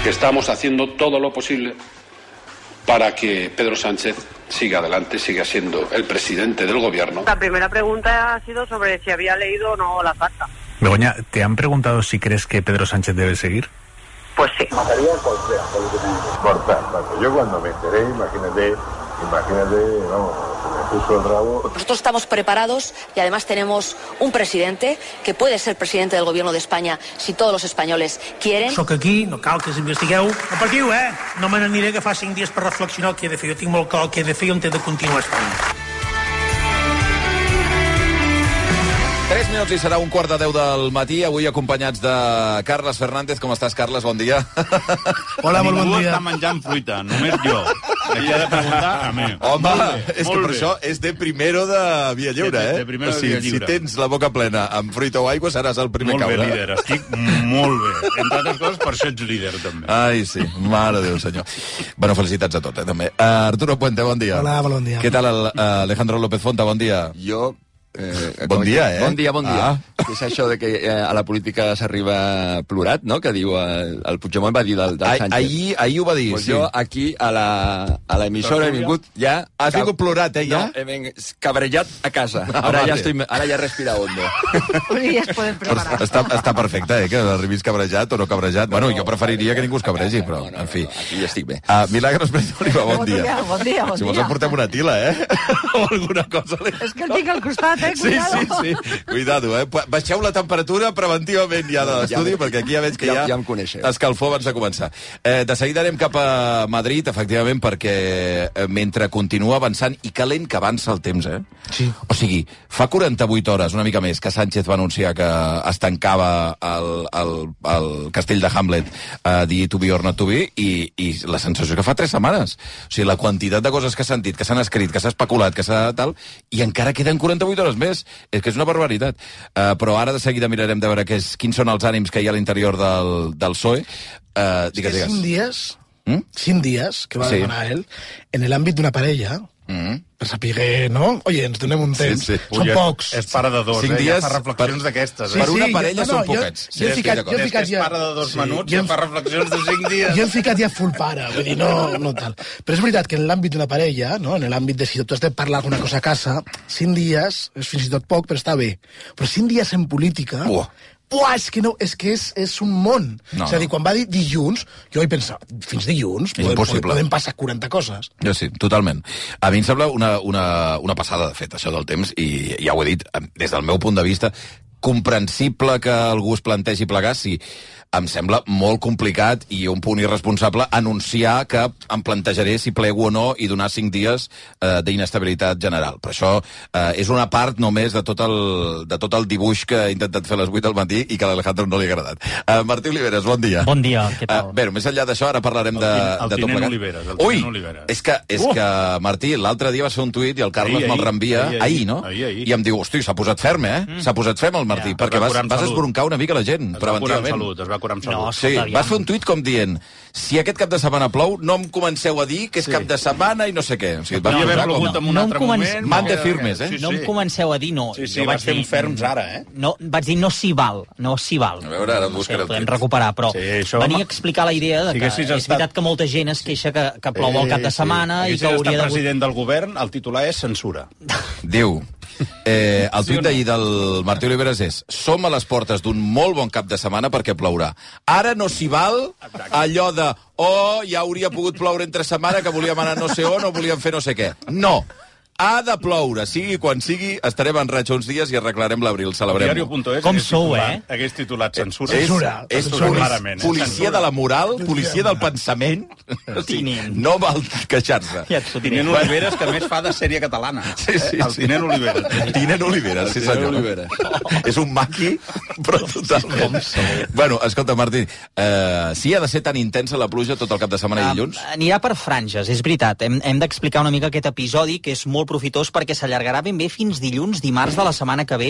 que estamos haciendo todo lo posible para que Pedro Sánchez siga adelante, siga siendo el presidente del gobierno. La primera pregunta ha sido sobre si había leído o no la carta. Begoña, ¿te han preguntado si crees que Pedro Sánchez debe seguir? Pues sí. Material complejo, lo que me importa. Yo cuando me enteré, imagínate, vamos, se me puso el rabo. Nosotros estamos preparados y además tenemos un presidente que puede ser presidente del gobierno de España si todos los españoles quieren. Soc aquí, no cal que s'investigueu. No patiu, No me n'aniré que fa 5 dies per reflexionar el que he de fer. Jo tinc molt clar el que he de fer i on he de continuar estant. 3 minuts i serà 1:15 del matí, avui acompanyats de Carles Fernández. Com estàs, Carles? Bon dia. Hola, molt bon dia. Ningú està menjant fruita, només jo. Aquí he de preguntar a mi. Home, és que per això és de primero de Via Lliure, De primero de Via Lliure. Si tens la boca plena amb fruita o aigua, seràs el primer caure. Molt bé, líder, estic molt bé. Entre altres coses, per això ets líder, també. Ai, sí, mare de Déu, senyor. Bueno, felicitats a tots, també. Arturo Puente, bon dia. Hola, bon dia. Què tal, Alejandro López Fonta, bon dia. Jo... bon dia, Bon dia. Que és això de que a la política s'arriba plorat, no?, que diu el Puigdemont va dir del Sánchez. Ahir ho va dir, pues sí. Jo aquí a l'emissora he vingut ja... Has vingut plorat, ja? No, he vingut cabrejat a casa. Ara ja respira hondo. Ja es poden preparar. Està perfecte, que arribis cabrejat o no cabrejat. Bueno, jo preferiria que ningú es cabregi, però, en fi. Aquí ja estic bé. Milagros Pérez Oliva, bon dia. Bon dia. Si vols emportem una tila, o alguna cosa. És que el tinc al costat, cuidado. Sí. Cuidado, Baixeu la temperatura preventivament ja de l'estudi, perquè aquí ja veig que ja em coneixeu. Escalfor abans de començar. De seguida anem cap a Madrid, efectivament, perquè mentre continua avançant, i que lent que avança el temps, Sí. O sigui, fa 48 hores, una mica més, que Sánchez va anunciar que es tancava el castell de Hamlet, dir to be or not to be, i la sensació que fa 3 setmanes. O sigui, la quantitat de coses que s'han dit, que s'han escrit, que s'ha especulat, que s'ha tal, i encara queden 48 hores més. És que és una barbaritat. Però ara de seguida mirarem de veure quins són els ànims que hi ha a l'interior del PSOE. Digues. 5 dies que va demanar ell en l'àmbit d'una parella, per saber, no? Oye, ens donem un temps. Sí. Són pocs. És pare de 2, 5 dies ja fa reflexions d'aquestes. Per una parella són poquets. Jo he ficat És pare de 2 minuts, ja fa reflexions de 5 dies. Jo he ficat ja full pare, vull dir, no tal. Però és veritat que en l'àmbit d'una parella, no? En l'àmbit de si tu has de parlar alguna cosa a casa, 5 dies és fins i tot poc, però està bé. Però 5 dies en política... és que és un món. És a dir, quan va dir dilluns, jo vaig pensar, fins dilluns podem passar 40 coses. Jo sí, totalment. A mi em sembla una passada, de fet, això del temps, i ja ho he dit, des del meu punt de vista, comprensible que algú es plantegi plegar, sí. Em sembla molt complicat i un punt irresponsable anunciar que em plantejaré si plego o no i donar 5 dies d'inestabilitat general. Però això és una part només de tot el dibuix que he intentat fer a les 8 del matí i que a l'Alejandro no li ha agradat. Martí Oliveres, bon dia. Bon dia, què tal? Bé, més enllà d'això, ara parlarem de tot plegat. Oliveres. És que, Martí, l'altre dia vas fer un tuit i el Carles me'l reenvia ahir, no? I em diu, hosti, s'ha posat ferm, S'ha posat ferm el Martí, perquè vas esbroncar una mica la gent, preventivament. Es va curar amb salut. No, sí, vas fer un tuit com dient si aquest cap de setmana plou, no em comenceu a dir que és cap de setmana i no sé què. O sigui, podria haver plogut en un altre moment. Mante firmes, No em comenceu a dir no. Sí, vas fer un ferms ara, No, vaig dir no s'hi val. A veure, ara buscaré el tuit. Podem recuperar, però venia a explicar la idea de que és veritat que molta gent es queixa que plou el cap de setmana i que hauria de... president del govern, el titular és censura. Diu... el tuit d'ahir del Martí Oliveres és: som a les portes d'un molt bon cap de setmana perquè plourà. Ara no s'hi val allò de ja hauria pogut ploure entre setmana, que volíem anar no sé on o volíem fer no sé què. No. Ha de ploure, sigui quan sigui, estarem en raig uns dies i arreglarem l'abril, celebrem-ho. Com sou, Hagués titulat censura. És policia de la moral, policia del pensament. No val queixar-se. Tinent Oliveres, que a més fa de sèrie catalana. El Tinent Oliveres. Tinent Oliveres, sí senyor. És un maqui, però totalment. Bueno, escolta, Martí, sí ha de ser tan intensa la pluja tot el cap de setmana i dilluns? Anirà per franges, és veritat. Hem d'explicar una mica aquest episodi, que és molt profitós perquè s'allargarà ben bé fins dilluns, dimarts de la setmana que ve,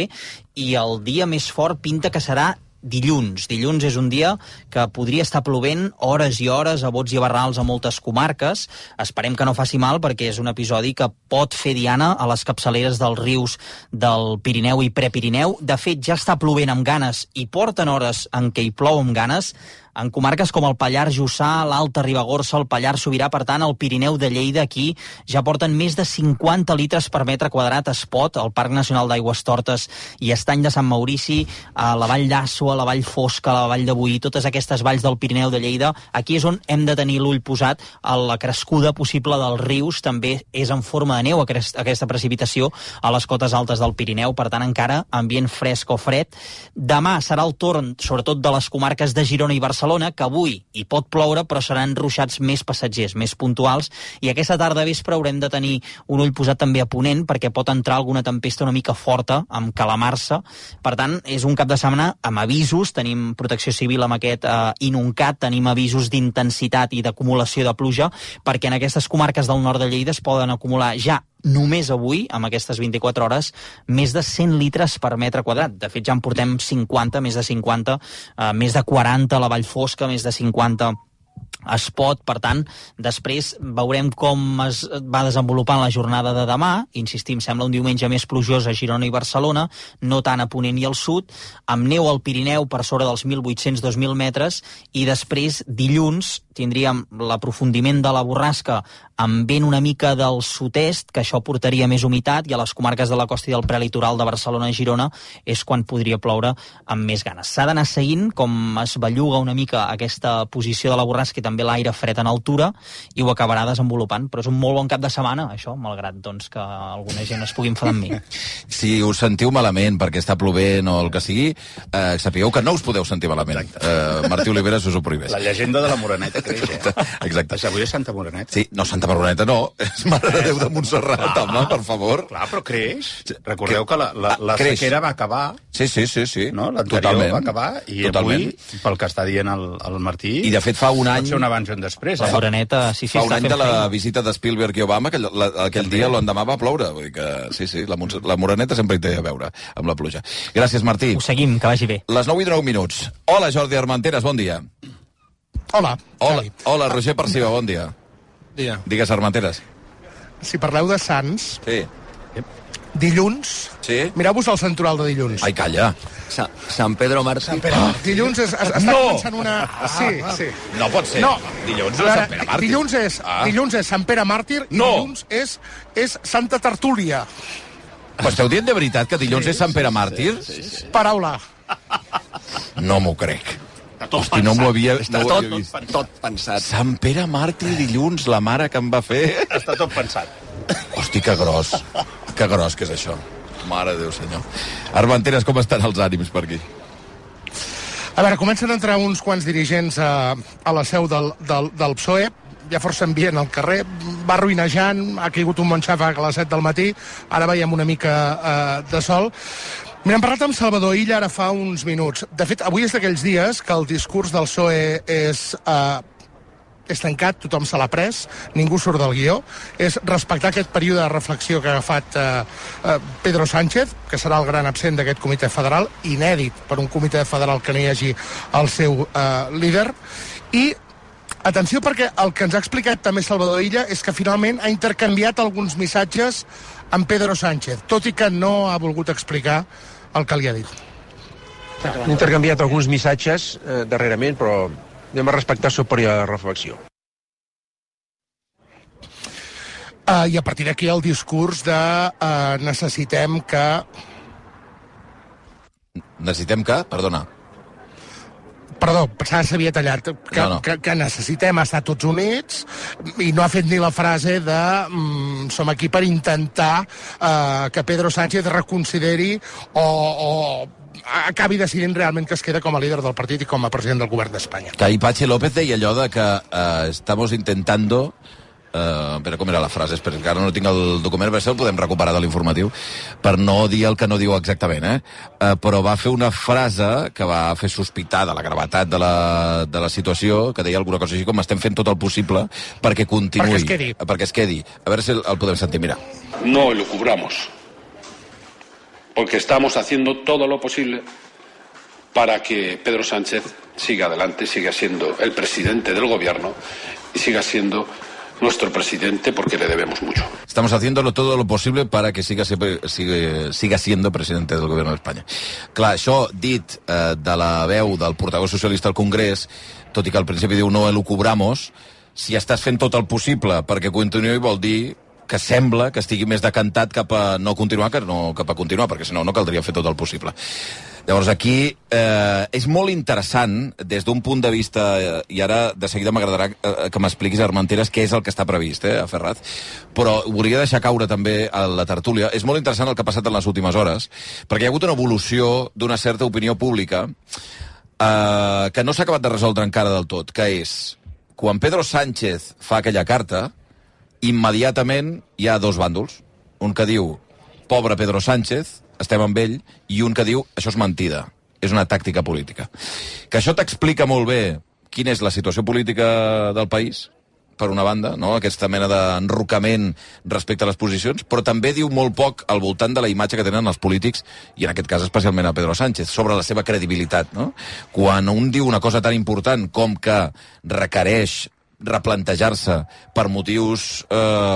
i el dia més fort pinta que serà dilluns. Dilluns és un dia que podria estar plovent hores i hores a bots i a barrals a moltes comarques. Esperem que no faci mal, perquè és un episodi que pot fer diana a les capçaleres dels rius del Pirineu i Prepirineu. De fet, ja està plovent amb ganes i porten hores en què hi plou amb ganes En comarques com el Pallars Jussà, l'Alta Ribagorça, el Pallars Sobirà, per tant, el Pirineu de Lleida, aquí ja porten més de 50 litres per metre quadrat a Espot, al Parc Nacional d'Aigües Tortes i Estany de Sant Maurici, a la Vall d'Àssoa, a la Vall Fosca, a la Vall de Boí, totes aquestes valls del Pirineu de Lleida. Aquí és on hem de tenir l'ull posat. A la crescuda possible dels rius també és en forma de neu aquesta precipitació a les cotes altes del Pirineu, per tant encara ambient fresc o fred. Demà serà el torn, sobretot de les comarques de Girona i Barcelona, que avui hi pot ploure, però seran ruixats més passatgers, més puntuals, i aquesta tarda a vespre haurem de tenir un ull posat també a Ponent, perquè pot entrar alguna tempesta una mica forta, amb calamarsa. Per tant, és un cap de setmana amb avisos, tenim protecció civil amb aquest inuncat, tenim avisos d'intensitat i d'acumulació de pluja, perquè en aquestes comarques del nord de Lleida es poden acumular ja només avui, amb aquestes 24 hores, més de 100 litres per metre quadrat. De fet, ja en portem 50, més de 50, més de 40 a la Vall Fosca, més de 50 Espot. Per tant, després veurem com es va desenvolupant la jornada de demà. Insistim, sembla un diumenge més plujós a Girona i Barcelona, no tant a Ponent i al sud, amb neu al Pirineu per sobre dels 1.800-2.000 metres, i després, dilluns, tindríem l'aprofundiment de la borrasca amb vent una mica del sud-est, que això portaria més humitat, i a les comarques de la costa i del prelitoral de Barcelona i Girona és quan podria ploure amb més ganes. S'ha d'anar seguint com es belluga una mica aquesta posició de la borrasca i també l'aire fred en altura, i ho acabarà desenvolupant. Però és un molt bon cap de setmana, això, malgrat doncs, que alguna gent es pugui enfadar amb mi. Si us sentiu malament perquè està plovent o el que sigui, sapigueu que no us podeu sentir malament. Martí Oliveres us ho prohibeix. La llegenda de la Moreneta creix, Exacte. Avui és Santa Moreneta. Sí, no, Santa Moreneta no, és Mare de Déu de Montserrat, home, per favor. Clar, però creix. Recordeu que la sequera va acabar. Sí. No? L'anterior va acabar, i avui, pel que està dient el Martí, i de fet fa un any... pot ser un abans i un després. La Moreneta, sí, fa un any de la visita de Spielberg i Obama, que aquell dia l'endemà va ploure. Vull dir que sí, la Moreneta sempre hi té a veure amb la pluja. Gràcies, Martí. Ho seguim, que vagi bé. Les 9 i 9 minuts. Hola, Jordi Armenteres, bon dia. Hola, Roger Perciba, bon dia. Dia. Digues, Armenteres. Si parleu de Sants, sí. Dilluns, mireu-vos el santoral de dilluns. Ai, calla. Sant Pedro Mártir. Dilluns està començant una... Sí. No pot ser. Dilluns és Sant Pere Màrtir. Dilluns és Sant Pere Màrtir i dilluns és Santa Tertúlia. Però esteu dient de veritat que dilluns és Sant Pere Màrtir? Sí. Paraula. No m'ho crec. Hosti, no m'ho havia vist. Tot pensat. Sant Pere Màrtir dilluns, la mare que em va fer... Està tot pensat. Hosti, que gros que és això. Mare de Déu, senyor. Armenteres, com estan els ànims per aquí? A veure, comencen a entrar uns quants dirigents a la seu del PSOE. Hi ha força ambient al carrer, va ruïnejant, ha caigut un bon xàfec a les 7 del matí, ara veiem una mica de sol. Mira, hem parlat amb Salvador Illa ara fa uns minuts. De fet, avui és d'aquells dies que el discurs del PSOE és tancat, tothom se l'ha pres, ningú surt del guió. És respectar aquest període de reflexió que ha agafat Pedro Sánchez, que serà el gran absent d'aquest comitè federal, inèdit per un comitè federal que no hi hagi el seu líder. I atenció, perquè el que ens ha explicat també Salvador Illa és que finalment ha intercanviat alguns missatges amb Pedro Sánchez, tot i que no ha volgut explicar el que li ha dit. Hem intercanviat alguns missatges darrerament, però anem a respectar el seu període de reflexió. I a partir d'aquí el discurs de necessitem que... Necessitem que? Perdona. Perdó, s'havia tallat. Que necessitem estar tots units, i no ha fet ni la frase de som aquí per intentar que Pedro Sánchez reconsideri o acabi decidint realment que es queda com a líder del partit i com a president del govern d'Espanya. Que ahir Patxi López deia allò de que estamos intentando... però com era la frase? Espera, que ara no tinc el document, però el podem recuperar de l'informatiu, per no dir el que no diu exactament, però va fer una frase que va fer sospitar de la gravetat de la situació, que deia alguna cosa així com estem fent tot el possible perquè continuï. Perquè es quedi. A veure si el podem sentir, mira. No lo cubramos, porque estamos haciendo todo lo posible para que Pedro Sánchez siga adelante, siga siendo el presidente del gobierno y siga siendo nuestro presidente porque le debemos mucho. Estamos haciéndolo todo lo posible para que siga siendo presidente del gobierno d'Espanya. Clar, això dit de la veu del portaveu socialista al Congrés, tot i que al principi diu no elucubramos, si estàs fent tot el possible perquè continuï vol dir que sembla que estigui més decantat cap a no continuar que no cap a continuar, perquè si no, no caldria fer tot el possible. Llavors aquí és molt interessant des d'un punt de vista, i ara de seguida m'agradarà que m'expliquis, Armenteres, què és el que està previst, a Ferraz, però volia deixar caure també a la tertúlia. És molt interessant el que ha passat en les últimes hores, perquè hi ha hagut una evolució d'una certa opinió pública que no s'ha acabat de resoldre encara del tot, que és, quan Pedro Sánchez fa aquella carta, immediatament hi ha dos bàndols. Un que diu, pobre Pedro Sánchez, estem amb ell, i un que diu, això és mentida, és una tàctica política. Que això t'explica molt bé quina és la situació política del país, per una banda, no? Aquesta mena d'enrocament respecte a les posicions, però també diu molt poc al voltant de la imatge que tenen els polítics, i en aquest cas especialment a Pedro Sánchez, sobre la seva credibilitat, no? Quan un diu una cosa tan important com que requereix replantejar-se per motius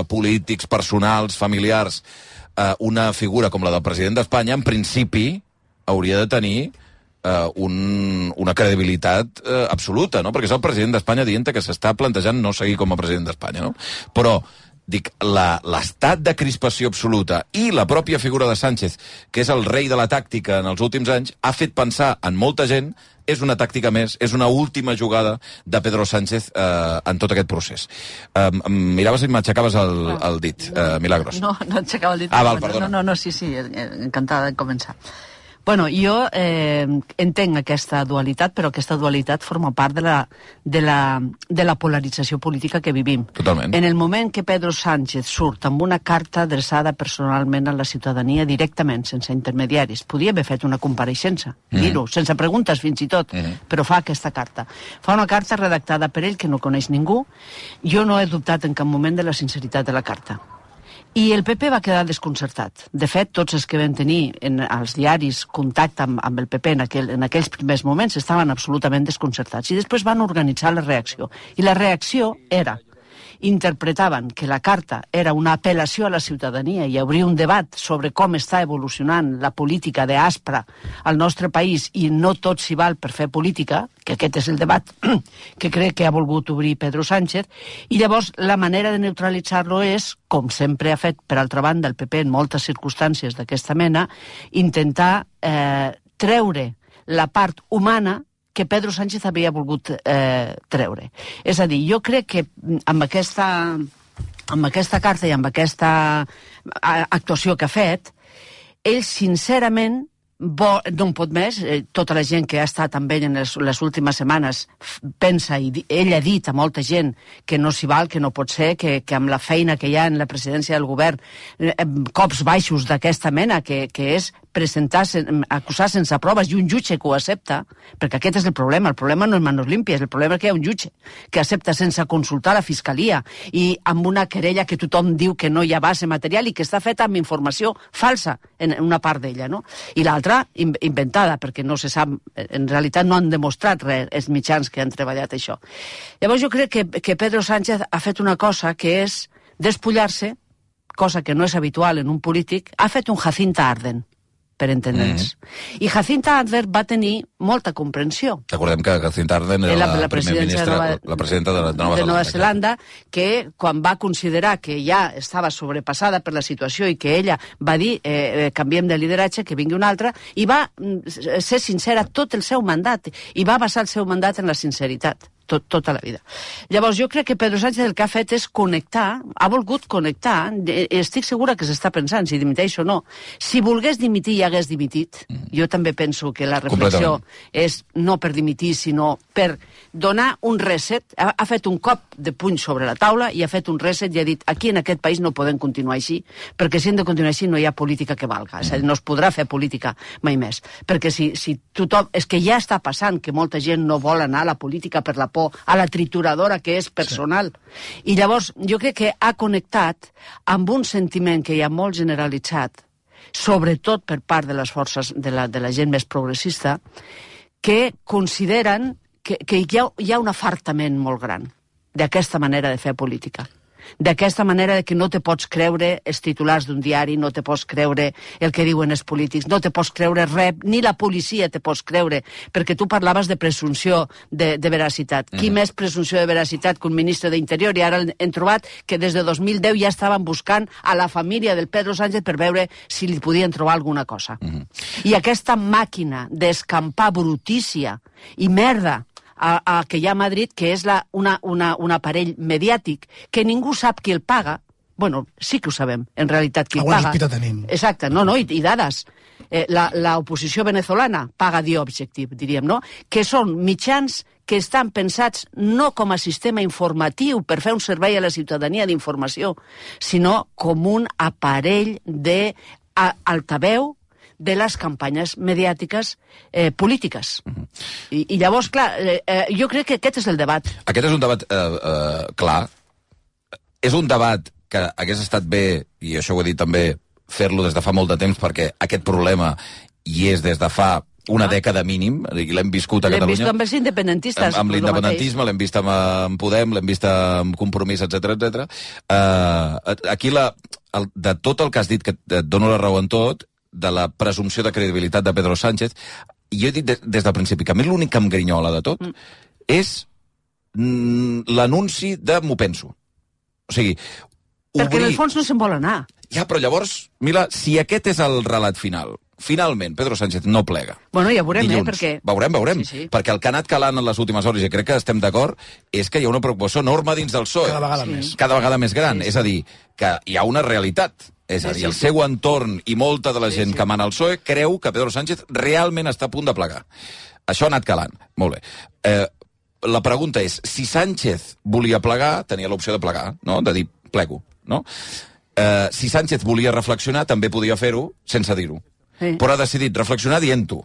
polítics, personals, familiars, una figura com la del president d'Espanya, en principi hauria de tenir una credibilitat absoluta, no? Perquè és el president d'Espanya dient que s'està plantejant no seguir com a president d'Espanya, no? Però, dic, l'estat de crispació absoluta i la pròpia figura de Sánchez, que és el rei de la tàctica en els últims anys, ha fet pensar en molta gent és una tàctica més, és una última jugada de Pedro Sánchez en tot aquest procés. Miraves i m'aixecaves el dit, Milagros. No aixecava el dit. Ah, val, perdona. No, sí, encantada de començar. Bueno, jo entenc aquesta dualitat, però aquesta dualitat forma part de la polarització política que vivim. Totalment. En el moment que Pedro Sánchez surt amb una carta adreçada personalment a la ciutadania directament, sense intermediaris, podia haver fet una compareixença, dir-ho, sense preguntes fins i tot, però fa aquesta carta. Fa una carta redactada per ell que no coneix ningú. Jo no he dubtat en cap moment de la sinceritat de la carta. I el PP va quedar desconcertat. De fet, tots els que van tenir als diaris contacte amb el PP en aquells primers moments estaven absolutament desconcertats. I després van organitzar la reacció. I la reacció era, interpretaven que la carta era una apel·lació a la ciutadania i obrir un debat sobre com està evolucionant la política d'Aspra al nostre país i no tot s'hi val per fer política, que aquest és el debat que crec que ha volgut obrir Pedro Sánchez, i llavors la manera de neutralitzar-lo és, com sempre ha fet, per altra banda, el PP en moltes circumstàncies d'aquesta mena, intentar treure la part humana que Pedro Sánchez havia volgut treure. És a dir, jo crec que amb aquesta carta i amb aquesta actuació que ha fet, ell sincerament no en pot més. Tota la gent que ha estat amb ell en les últimes setmanes pensa, i ell ha dit a molta gent que no s'hi val, que no pot ser, que amb la feina que hi ha en la presidència del govern, cops baixos d'aquesta mena, que és acusar sense proves i un jutge que ho accepta, perquè aquest és el problema no és manos limpias, el problema és que hi ha un jutge que accepta sense consultar la fiscalia i amb una querella que tothom diu que no hi ha base material i que està feta amb informació falsa en una part d'ella, no? I l'altra inventada, perquè no se sap, en realitat no han demostrat res els mitjans que han treballat això. Llavors jo crec que Pedro Sánchez ha fet una cosa que és despullar-se, cosa que no és habitual en un polític, ha fet un Jacinta Arden, per entendre'ns. I Jacinta Arden va tenir molta comprensió. Recordem que Jacinta Arden era la presidenta de Nova Zelanda, que quan va considerar que ja estava sobrepassada per la situació i que ella va dir canviem de lideratge, que vingui un altre, i va ser sincera tot el seu mandat, i va basar el seu mandat en la sinceritat. Tota la vida. Llavors, jo crec que Pedro Sánchez el que ha fet és connectar, ha volgut connectar, estic segura que s'està pensant si dimiteix o no. Si volgués dimitir i hagués dimitit, jo també penso que la reflexió és no per dimitir, sinó per donar un reset. Ha fet un cop de puny sobre la taula i ha fet un reset i ha dit aquí en aquest país no podem continuar així, perquè si hem de continuar així no hi ha política que valga. És a dir, no es podrà fer política mai més. Perquè si tothom... És que ja està passant que molta gent no vol anar a la política per la por a la trituradora que és personal. I llavors jo crec que ha connectat amb un sentiment que hi ha molt generalitzat, sobretot per part de les forces de la gent més progressista, que consideren que hi ha un afartament molt gran d'aquesta manera de fer política. d'aquesta manera de que no te pots creure els titulars d'un diari, no te pots creure el que diuen els polítics, no te pots creure res, ni la policia te pots creure, perquè tu parlaves de presumpció de veracitat. Qui més presumpció de veracitat que un ministre d'Interior? I ara hem trobat que des de 2010 ja estaven buscant a la família del Pedro Sánchez per veure si li podien trobar alguna cosa. I aquesta màquina d'escampar brutícia i merda que hi ha a Madrid, que és un aparell mediàtic, que ningú sap qui el paga. Bueno, sí que ho sabem, en realitat, qui el paga. Alguna sospita tenim. Exacte, i dades. L'oposició venezolana paga The Objective, diríem, no? Que són mitjans que estan pensats no com a sistema informatiu per fer un servei a la ciutadania d'informació, sinó com un aparell d'altaveu de les campanyes mediàtiques polítiques. I llavors, clar, jo crec que aquest és el debat. Aquest és un debat clar. És un debat que hagués estat bé, i això ho he dit també, fer-lo des de fa molt de temps, perquè aquest problema hi és des de fa una dècada mínim, i l'hem viscut a Catalunya. L'hem vist amb els independentistes. Amb l'independentisme, l'hem vist amb Podem, l'hem vist amb Compromís, etc. Aquí, de tot el que has dit, que et dono la raó en tot, de la presumpció de credibilitat de Pedro Sánchez, jo he dit des del principi que a mi l'únic que em grinyola de tot és l'anunci de m'ho penso. O sigui, perquè en el fons no se'n vol anar. Ja, però llavors, Mila, si aquest és el relat final, finalment Pedro Sánchez no plega. Bueno, ja veurem, dilluns, perquè... Veurem. Sí. Perquè el que ha anat calant en les últimes hores, i crec que estem d'acord, és que hi ha una preocupació enorme dins del PSOE. Cada vegada més. Cada vegada més gran. És a dir, que hi ha una realitat. És a dir, el seu entorn i molta de la gent que mana el PSOE creu que Pedro Sánchez realment està a punt de plegar. Això ha anat calant. Molt bé. La pregunta és, si Sánchez volia plegar, tenia l'opció de plegar, no? De dir, plego, no? Si Sánchez volia reflexionar, també podia fer-ho sense dir-ho. Sí. Però ha decidit reflexionar dient-ho.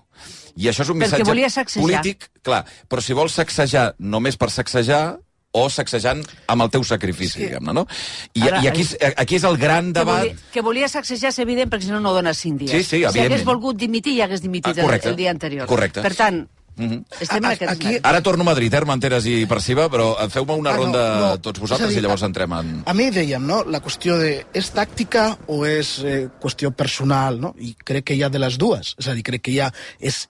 I això és un missatge polític, clar. Però si vols sacsejar només per sacsejar, o sacsejant amb el teu sacrifici, diguem-ne, no? I aquí és el gran debat... Que volia sacsejar és evident, perquè si no dones 5 dies. Sí, evidentment. Si hagués volgut dimitir, ja hagués dimitit el dia anterior. Correcte. Per tant, estem en aquest moment. Ara torno a Madrid, Armenteres i Perciba, però feu-me una ronda tots vosaltres i llavors entrem en... A mi dèiem, no?, la qüestió de és tàctica o és qüestió personal, no? I crec que hi ha de les dues. És a dir, crec que hi ha... És,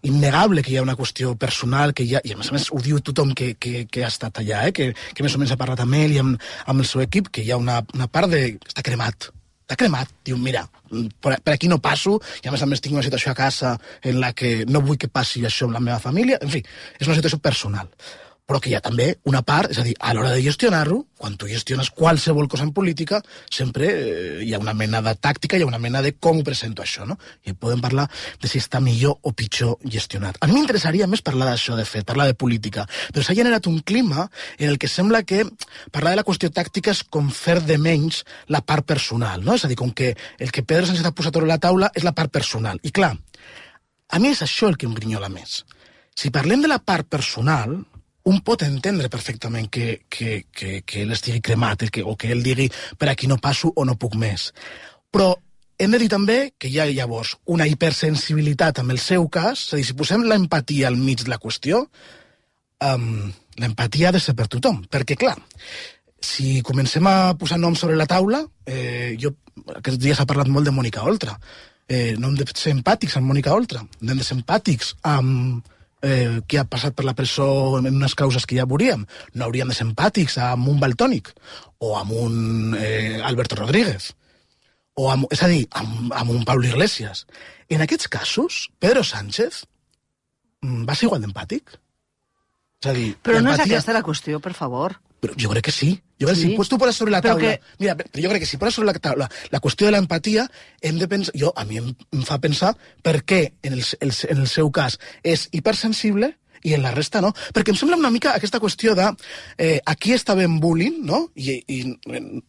innegable que hi ha una qüestió personal, que hi ha, i a més ho diu tothom que ha estat allà, que més o menys ha parlat amb ell i amb el seu equip, que hi ha una part de... Està cremat. Diu, mira, per aquí no passo, i a més tinc una situació a casa en la que no vull que passi això amb la meva família. En fi, és una situació personal. Però que hi ha també una part, és a dir, a l'hora de gestionar-ho, quan tu gestiones qualsevol cosa en política, sempre hi ha una mena de tàctica, hi ha una mena de com ho presento això, no? I podem parlar de si està millor o pitjor gestionat. A mi m'interessaria més parlar d'això, de fet, parlar de política, però s'ha generat un clima en el que sembla que parlar de la qüestió tàctica és com fer de menys la part personal, no? És a dir, com que el que Pedro Sánchez ha posat sobre la taula és la part personal. I clar, a mi és això el que em grinyola més. Si parlem de la part personal, un pot entendre perfectament que ell estigui cremat o que ell digui per aquí no passo o no puc més. Però hem de dir també que hi ha llavors una hipersensibilitat amb el seu cas, és a dir, si posem l'empatia al mig de la qüestió, l'empatia ha de ser per tothom, perquè clar, si comencem a posar noms sobre la taula, aquests dies ha parlat molt de Mònica Oltra, no hem de ser empàtics amb Mònica Oltra, hem de ser empàtics amb qui ha passat per la presó en unes causes que ja veuríem. No hauríem de ser empàtics amb un Valtònic o amb un Alberto Rodríguez o és a dir, amb un Pablo Iglesias. En aquests casos, Pedro Sánchez va ser igual d'empàtic. És a dir, però no és aquesta la qüestió, per favor. Però jo crec que sí. Jo crec que si tu poses sobre la taula... Mira, jo crec que si poses sobre la taula la qüestió de l'empatia, hem de pensar... A mi em fa pensar per què en el seu cas és hipersensible i en la resta no. Perquè em sembla una mica aquesta qüestió de... aquí està ben bullying, no? I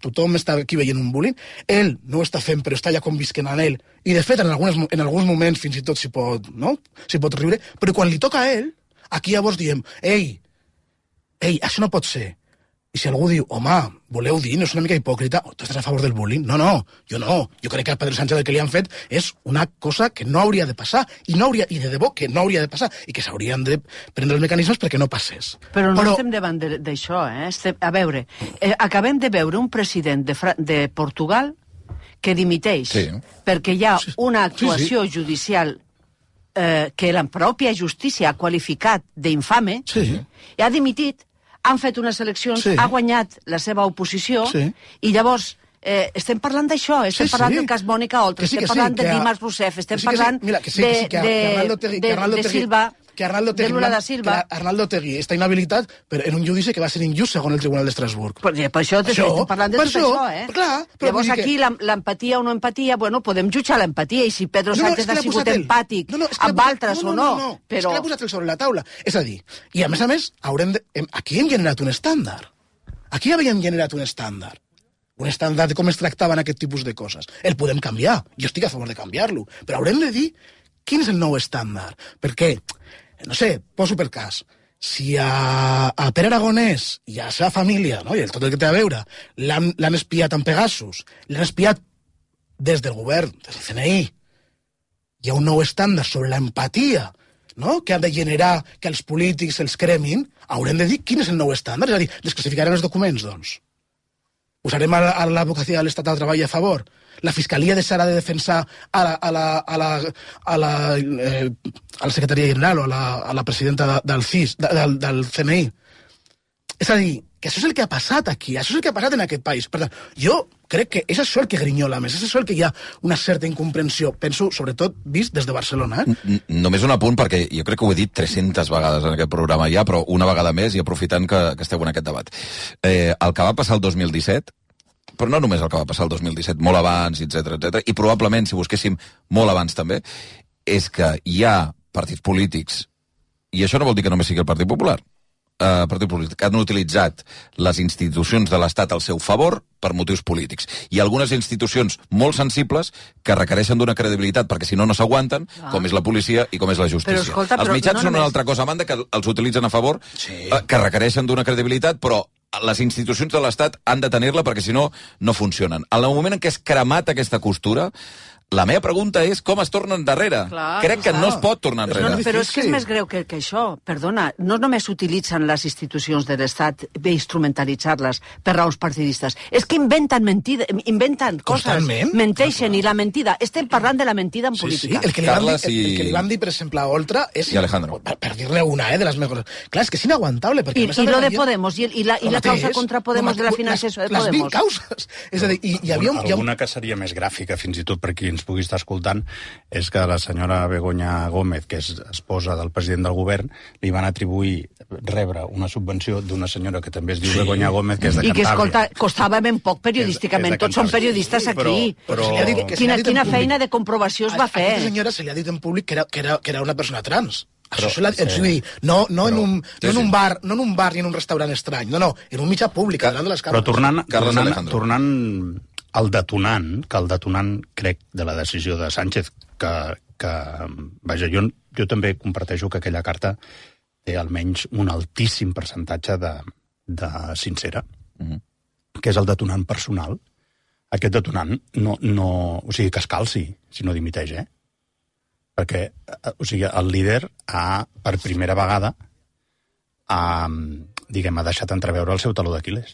tothom està aquí veient un bullying. Ell no ho està fent, però està ja convisquent en ell. I, de fet, en alguns moments fins i tot s'hi pot riure. Però quan li toca a ell, aquí llavors diem, ei, això no pot ser. I si algú diu, home, voleu dir, no és una mica hipòcrita, tu estàs a favor del bullying? No, jo no. Jo crec que a Pedro Sánchez el que li han fet és una cosa que no hauria de passar, i de debò que no hauria de passar, i que s'haurien de prendre els mecanismes perquè no passés. Però no estem davant d'això, eh? A veure, acabem de veure un president de Portugal que dimiteix perquè hi ha una actuació judicial que la pròpia justícia ha qualificat d'infame, i ha dimitit. Han fet unes eleccions, ha guanyat la seva oposició, i llavors estem parlant d'això, estem parlant del cas Mònica Oltra, estem parlant de Dimas Rousseff, estem parlant de Silva, de Lula da Silva. Que Arnaldo Otegi està inhabilitat en un judici que va ser injust segons el Tribunal d'Estrasburg. Per això estem parlant de tot això, Llavors aquí l'empatia o no empatia, bueno, podem jutjar l'empatia, i si Pedro Sánchez ha sigut empàtic amb altres o no, però... És que l'ha posat sobre la taula. És a dir, i a més, aquí hem generat un estàndard. Aquí havíem generat un estàndard. Un estàndard de com es tractaven aquest tipus de coses. El podem canviar. Jo estic a favor de canviar-lo. Però haurem de dir quin és el nou estàndard. Perquè, no sé, poso per cas, si a Pere Aragonès i a la seva família, no, i tot el que té a veure, l'han espiat amb Pegasus, l'han espiat des del govern, des del CNI, hi ha un nou estàndard sobre l'empatia, no?, que ha de generar que els polítics els cremin, haurem de dir quin és el nou estàndard. És a dir, desclassificarem els documents, doncs. Usarem a l'advocacia de l'Estat al treball a favor. La Fiscalia deixarà de defensar a la secretaria general o a la presidenta del CIS, del CNI. És a dir, que això és el que ha passat aquí, això és el que ha passat en aquest país. Per tant, jo crec que és això el que grinyola més, és això el que hi ha una certa incomprensió, penso, sobretot, vist des de Barcelona. Només un apunt, perquè jo crec que ho he dit 300 vegades en aquest programa ja, però una vegada més, i aprofitant que esteu en aquest debat. El que va passar el 2017, però no només el que va passar el 2017, molt abans, etc, i probablement, si busquéssim molt abans també, és que hi ha partits polítics, i això no vol dir que només sigui el Partit Popular, partit polític, que han utilitzat les institucions de l'Estat al seu favor per motius polítics. I algunes institucions molt sensibles que requereixen d'una credibilitat perquè si no, no s'aguanten, com és la policia i com és la justícia. Els mitjans són una altra cosa a banda que els utilitzen a favor, que requereixen d'una credibilitat, però les institucions de l'Estat han de tenir-la perquè si no, no funcionen. En el moment en què és cremat aquesta costura, la meva pregunta és com es torna endarrere. Crec que no es pot tornar enrere. Però és que és més greu que això. Perdona, no només utilitzen les institucions de l'Estat per instrumentalitzar-les per raons partidistes. És que inventen coses, menteixen, i la mentida. Estem parlant de la mentida en política. El que li van dir, per exemple, a Oltra és... I Alejandro. Per dir-ne una, de les mejores. Clar, és que és inaguantable. I lo de Podemos, i la causa contra Podemos de la financiació de Podemos. Les 20 causes. És a dir, hi havia... Alguna que seria més gràfica, fins i tot per qui ens pugui estar escoltant, és que la senyora Begoña Gómez, que és esposa del president del govern, li van atribuir rebre una subvenció d'una senyora que també es diu Begoña Gómez, que és de Cantàbria. I que, escolta, costava ben poc periodísticament. Tots són periodistes aquí. Quina feina de comprovació es va fer? A aquesta senyora se li ha dit en públic que era una persona trans. Això no en un bar ni en un restaurant estrany, no, en un mitjà públic, davant de les càmeres. Però tornant al detonant, crec, de la decisió de Sánchez, que vaja, jo també comparteixo que aquella carta té almenys un altíssim percentatge de sincera, que és el detonant personal. Aquest detonant o sigui, que es calci si no dimiteix, perquè, o sigui, el líder per primera vegada ha deixat entreveure el seu taló d'Aquil·les.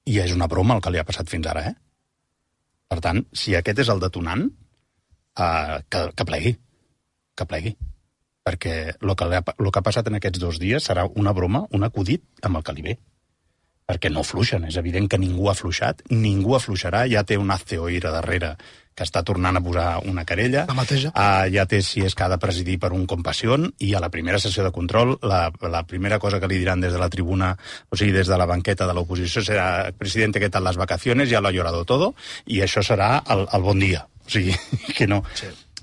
I és una broma el que li ha passat fins ara, Per tant, si aquest és el detonant, que plegui. Perquè el que ha passat en aquests 2 dies serà una broma, un acudit amb el que li ve. Perquè no fluixen, és evident que ningú ha fluixat, ningú afluixarà, ja té un hazte oír a darrere que està tornant a posar una querella, ja té si és que ha de presidir per un compassió, i a la primera sessió de control, la primera cosa que li diran des de la tribuna, o sigui, des de la banqueta de l'oposició, serà: presidente, ¿qué tal las vacaciones? Ya lo ha llorado todo, i això serà el bon dia. O sigui, que no.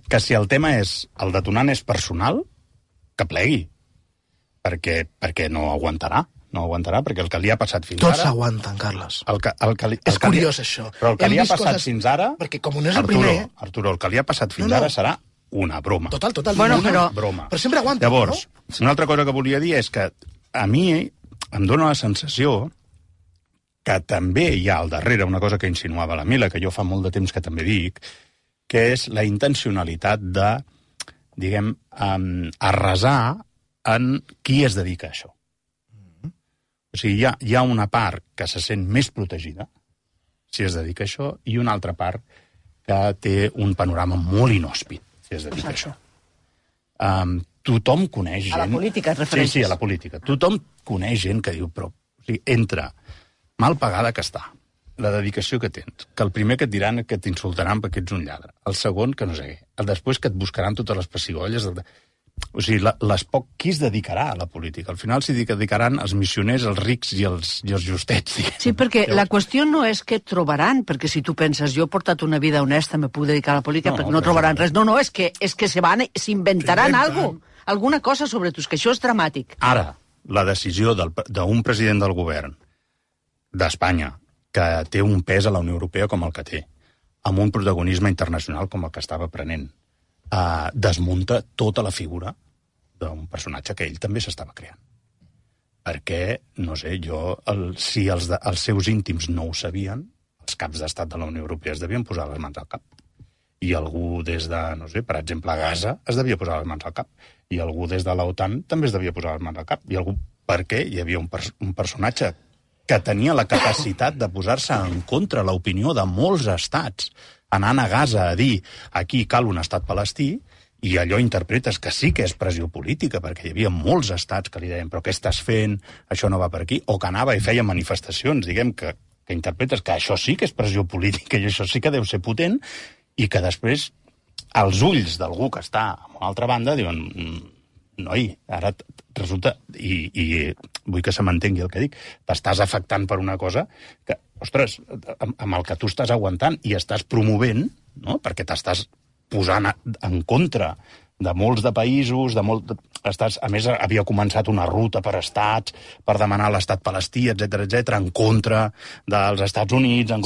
Que si el tema és, el detonant és personal, que plegui, perquè no aguantarà. No aguantarà, perquè el que li ha passat fins ara... Tots aguanten, Carles. És curiós, això. Però el que li ha passat fins ara... Perquè com no és el primer... Arturo, el que li ha passat fins ara serà una broma. Total. Bueno, broma. Però sempre aguanta, Llavors, una altra cosa que volia dir és que a mi em dóna la sensació que també hi ha al darrere una cosa que insinuava la Mila, que jo fa molt de temps que també dic, que és la intencionalitat de, diguem, arrasar en qui es dedica a això. O sigui, hi ha una part que se sent més protegida si es dedica a això i una altra part que té un panorama molt inhòspit si es dedica a això. Tothom coneix gent... A la política et refereixes? Sí, a la política. Tothom coneix gent que diu, però o sigui, entre mal pagada que està, la dedicació que tens, que el primer que et diran que t'insultaran perquè ets un lladre, el segon que no sé què, el després que et buscaran totes les pessigolles... O sigui, qui es dedicarà a la política? Al final s'hi dedicaran els missioners, els rics i els justets. Sí, perquè la qüestió no és que trobaran, perquè si tu penses, jo he portat una vida honesta, me puc dedicar a la política, perquè no trobaran res. No, és que s'inventaran alguna cosa sobre tu, que això és dramàtic. Ara, la decisió d'un president del govern d'Espanya, que té un pes a la Unió Europea com el que té, amb un protagonisme internacional com el que estava prenent, desmunta tota la figura d'un personatge que ell també s'estava creant. Perquè, no sé, si els seus íntims no ho sabien, els caps d'estat de la Unió Europea es devien posar les mans al cap. I algú des de, no sé, per exemple, Gaza es devia posar les mans al cap. I algú des de l'OTAN també es devia posar les mans al cap. I algú, perquè hi havia un personatge que tenia la capacitat de posar-se en contra l'opinió de molts estats, anant a Gaza a dir aquí cal un estat palestí, i allò interpretes que sí que és pressió política, perquè hi havia molts estats que li deien però què estàs fent, això no va per aquí, o que anava i feia manifestacions, diguem, que interpretes que això sí que és pressió política i això sí que deu ser potent, i que després als ulls d'algú que està a una altra banda diuen noi, ara resulta, i vull que se m'entengui el que dic, t'estàs afectant per una cosa que, ostres, amb el que tu estàs aguantant i estàs promovent, no? Perquè t'estàs posant en contra de molts de països, a més, havia començat una ruta per estats, per demanar l'estat palestí, etc, en contra dels Estats Units,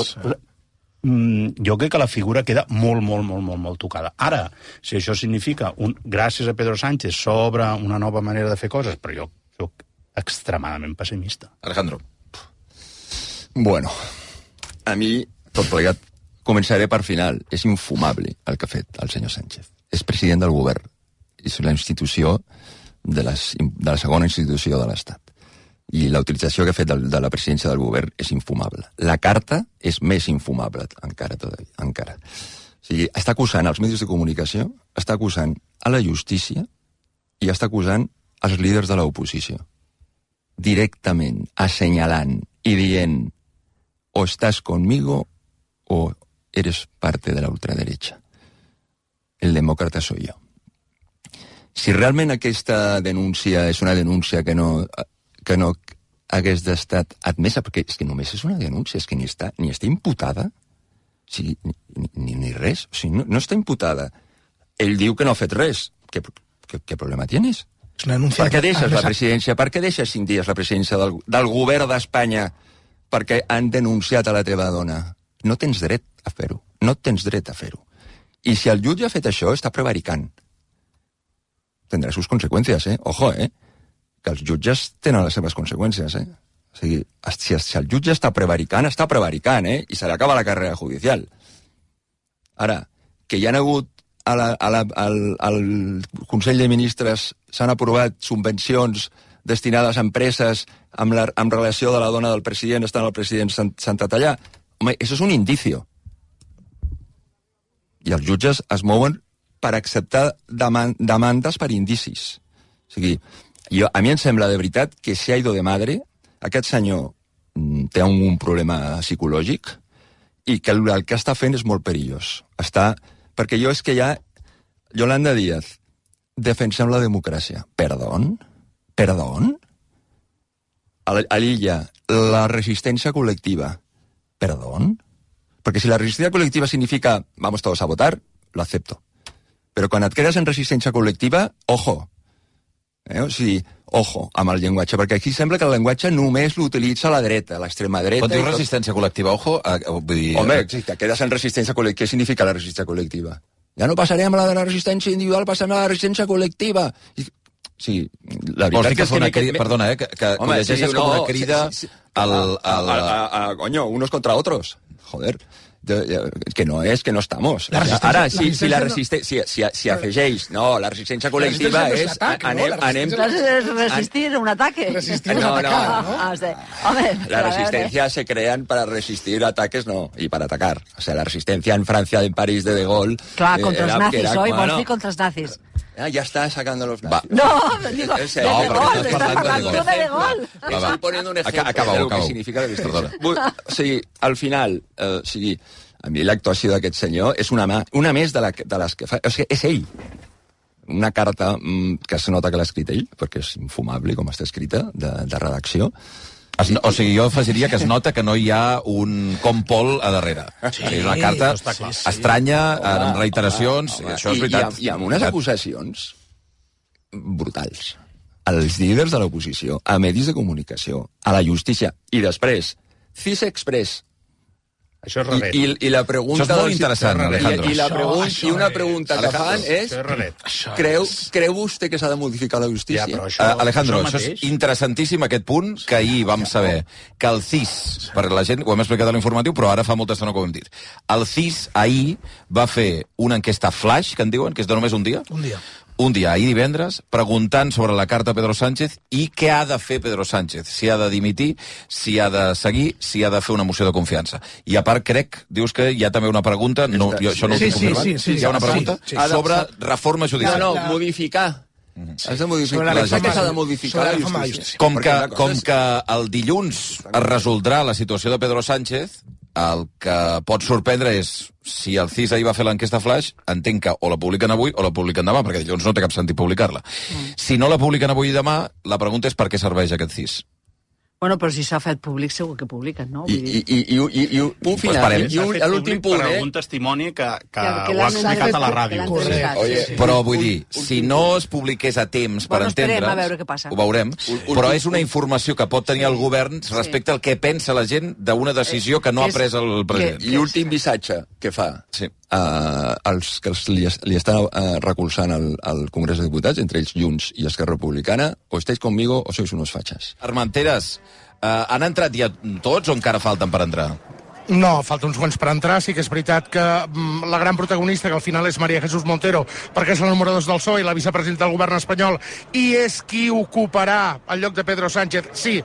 jo crec que la figura queda molt tocada. Ara, si això significa, gràcies a Pedro Sánchez, s'obre una nova manera de fer coses, però jo soc extremadament pessimista. Alejandro. Bueno, a mi, tot plegat, començaré per final. És infumable el que ha fet el senyor Sánchez. És president del govern. És la institució de la segona institució de l'Estat. I la utilització que ha fet de la presidència del govern és infumable. La carta és més infumable encara. O sigui, està acusant els mitjans de comunicació, està acusant a la justícia i està acusant els líders de l'oposició. Directament, assenyalant i dient o estàs conmigo o eres parte de la ultraderecha. El demòcrata soy yo. Si realment aquesta denúncia és una denúncia que no hagués d'estat admesa, perquè és que només és una denúncia, és que ni està imputada, o sigui, ni res, o sigui, no està imputada. Ell diu que no ha fet res. Què problema tienes? Per què deixes la presidència? Per què deixes 5 dies la presidència del govern d'Espanya perquè han denunciat a la teva dona? No tens dret a fer-ho. No tens dret a fer-ho. I si el jutge ha fet això, està prevaricant. Tindrà sus conseqüències, Ojo, que els jutges tenen les seves conseqüències, O sigui, si el jutge està prevaricant, i se li acaba la carrera judicial. Ara, que hi ha hagut al Consell de Ministres s'han aprovat subvencions destinades a empreses amb relació de la dona del president, estant el president Santatallà, home, això és un indicio. I els jutges es mouen per acceptar demandes per indicis. O sigui, a mi em sembla de veritat que se ha ido de madre, aquest senyor té un problema psicològic i que el que està fent és molt perillós. Perquè és que ja Yolanda Díaz defensem la democràcia. Perdó? A l'illa, la resistència col·lectiva. Perdó? Perquè si la resistència col·lectiva significa vamos todos a votar, lo acepto. Però quan et quedes en resistència col·lectiva, ojo. O sigui, ojo amb el llenguatge, perquè aquí sembla que el llenguatge només l'utilitza la dreta, l'extrema dreta... Quan dius resistència col·lectiva, ojo... Home, si te quedes en resistència col·lectiva, què significa la resistència col·lectiva? Ja no passarem a la resistència individual, passarem a la resistència col·lectiva. Sí, la veritat que fa una crida... Perdona, que home, llegeixes com una crida coño, unos contra otros. Joder. Que no estamos. Ara, si afegeix... No, la resistència col·lectiva és... Resistir un ataque. Resistir un atacar, ¿no? La resistencia se crean para resistir ataques, no, y para atacar. O sea, la resistencia en Francia, en París de Gaulle... Clar, contra els nazis, oi? Vols dir contra els nazis? Ya está sacando los nazis. No, digo, de Gaulle, estás hablando de Gaulle. Estoy poniendo un ejemplo de lo que significa la resistencia. O sigui, al final, a mi l'actuació d'aquest senyor és una més de les que fa... O sigui, és ell. Una carta que es nota que l'ha escrit ell, perquè és infumable com està escrita, de redacció. O sigui, jo afegiria que es nota que no hi ha un compol a darrere. Sí, és una carta estranya, amb reiteracions, això és veritat. I amb unes acusacions brutals. Als líders de l'oposició, a medis de comunicació, a la justícia, i després, CIS Express. Això és relet. I la pregunta... Això és molt interessant, Alejandro. I una pregunta que fan és... Creu vostè que s'ha de modificar la justícia? Alejandro, això és interessantíssim, aquest punt, que ahir vam saber que el CIS, per la gent, ho hem explicat a l'informatiu, però ara fa molta estona que ho hem dit. El CIS ahir va fer una enquesta flash, que en diuen, que és de només un dia. Un dia, ahir divendres, preguntant sobre la carta a Pedro Sánchez i què ha de fer Pedro Sánchez. Si ha de dimitir, si ha de seguir, si ha de fer una moció de confiança. I a part, crec, dius que hi ha també una pregunta, no, jo això no ho tinc confirmat, hi ha una pregunta sobre reforma judicial. No, modificar. Has de modificar. La gent s'ha de modificar la justícia. Com que el dilluns es resoldrà la situació de Pedro Sánchez, el que pot sorprendre és, si el CIS ahir va fer l'enquesta flash, entenc que o la publiquen avui o la publiquen demà, perquè dilluns no té cap sentit publicar-la. Si no la publiquen avui i demà, la pregunta és per què serveix aquest CIS. Bueno, però si s'ha fet públic, segur que publiquen, no? I un final, i l'últim punt, per algun testimoni que ho ha explicat a la ràdio. Però vull dir, si no es publiqués a temps per entendre's, a veure què passa. Ho veurem, però és una informació que pot tenir el govern respecte al que pensa la gent d'una decisió que no ha pres el president. I últim missatge que fa als que li estan recolzant al Congrés de Diputats, entre ells Junts i Esquerra Republicana, o estáis conmigo o sois unos fachas. Armenteres, han entrat ja tots o encara falten per entrar? No, falta uns quants per entrar. Sí que és veritat que la gran protagonista, que al final és María Jesús Montero, perquè és la número 2 del PSOE i la vicepresidenta del govern espanyol, i és qui ocuparà el lloc de Pedro Sánchez, sí,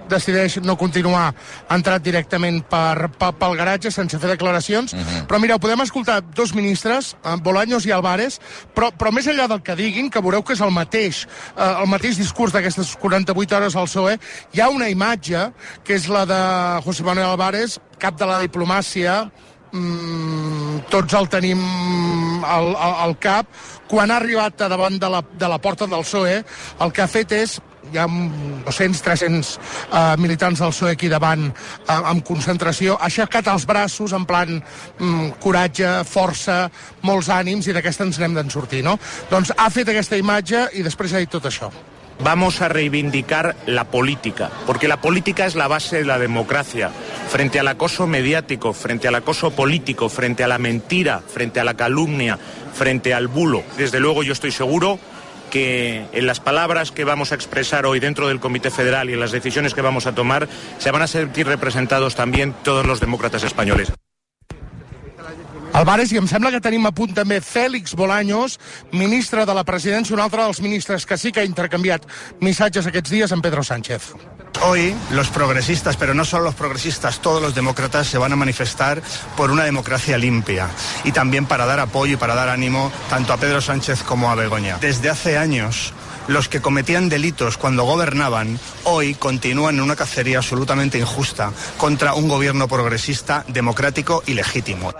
decideix no continuar, ha entrat directament pel garatge sense fer declaracions. Però mireu, podem escoltar dos ministres, Bolaños i Álvarez, però més enllà del que diguin, que veureu que és el mateix discurs d'aquestes 48 hores al PSOE, hi ha una imatge, que és la de José Manuel Álvarez, cap de la diplomàcia, tots el tenim al cap, quan ha arribat a davant de la porta del PSOE, el que ha fet és, hi ha 200-300 militants del PSOE aquí davant amb concentració, ha aixecat els braços en plan coratge, força, molts ànims, i d'aquesta ens n'hem d'en sortir, no? Doncs ha fet aquesta imatge i després ha dit tot això. Vamos a reivindicar la política, porque la política es la base de la democracia. Frente al acoso mediático, frente al acoso político, frente a la mentira, frente a la calumnia, frente al bulo. Desde luego yo estoy seguro que en las palabras que vamos a expresar hoy dentro del Comité Federal y en las decisiones que vamos a tomar se van a sentir representados también todos los demócratas españoles. Álvarez, i em sembla que tenim a punt també Félix Bolaños, ministre de la Presidència, un altre dels ministres que sí que ha intercanviat missatges aquests dies amb Pedro Sánchez. Hoy los progresistas, pero no solo los progresistas, todos los demócratas se van a manifestar por una democracia limpia y también para dar apoyo y para dar ánimo tanto a Pedro Sánchez como a Begoña. Desde hace años, los que cometían delitos cuando gobernaban, hoy continúan en una cacería absolutamente injusta contra un gobierno progresista, democrático y legítimo.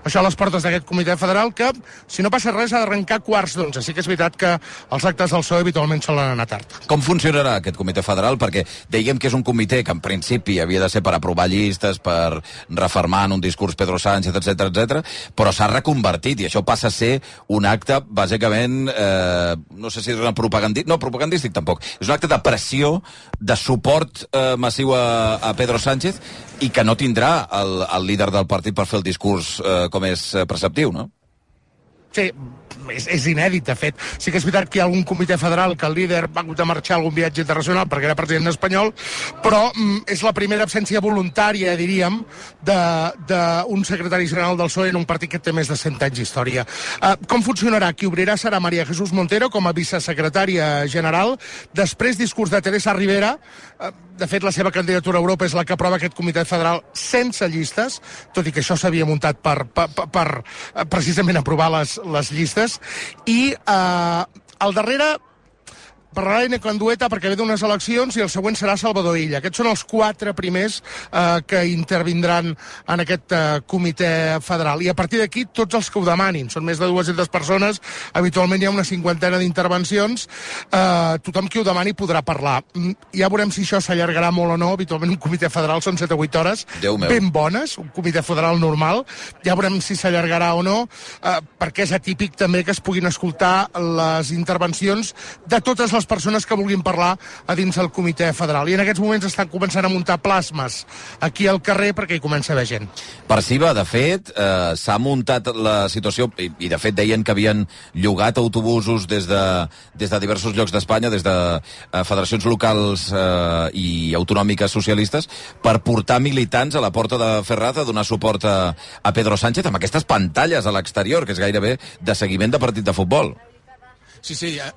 Això a les portes d'aquest comitè federal que, si no passa res, ha d'arrencar quarts d'11. Sí que és veritat que els actes del PSOE habitualment solen anar tard. Com funcionarà aquest comitè federal? Perquè dèiem que és un comitè que en principi havia de ser per aprovar llistes, per refermar en un discurs Pedro Sánchez, etc, però s'ha reconvertit i això passa a ser un acte, bàsicament, no sé si és una propagandístic, no, propagandístic tampoc. És un acte de pressió, de suport massiu a Pedro Sánchez i que no tindrà el líder del partit per fer el discurs com és preceptiu, no? Sí, és inèdit, de fet. Sí que és veritat que hi ha algun comitè federal que el líder va haver de marxar a algun viatge internacional perquè era president espanyol, però és la primera absència voluntària, diríem, d'un secretari general del PSOE en un partit que té més de 100 anys d'història. Com funcionarà? Qui obrirà serà María Jesús Montero com a vicesecretària general. Després, discurs de Teresa Rivera. De fet, la seva candidatura a Europa és la que aprova aquest comitè federal sense llistes, tot i que això s'havia muntat per precisament aprovar les llistes. I al darrere parlarà Ene Candueta perquè ve d'unes eleccions i el següent serà Salvador Illa. Aquests són els 4 primers que intervindran en aquest comitè federal. I a partir d'aquí, tots els que ho demanin. Són més de 200 persones. Habitualment hi ha una 50ena d'intervencions. Tothom qui ho demani podrà parlar. Ja veurem si això s'allargarà molt o no. Habitualment un comitè federal són 7 o 8 hores ben bones, un comitè federal normal. Ja veurem si s'allargarà o no, perquè és atípic també que es puguin escoltar les intervencions de totes les persones que vulguin parlar a dins del comitè federal. I en aquests moments estan començant a muntar plasmes aquí al carrer perquè hi comença a haver gent. Perciba, de fet, s'ha muntat la situació, i de fet deien que havien llogat autobusos des de diversos llocs d'Espanya, des de federacions locals i autonòmiques socialistes, per portar militants a la porta de Ferraz a donar suport a Pedro Sánchez amb aquestes pantalles a l'exterior, que és gairebé de seguiment de partit de futbol. Sí,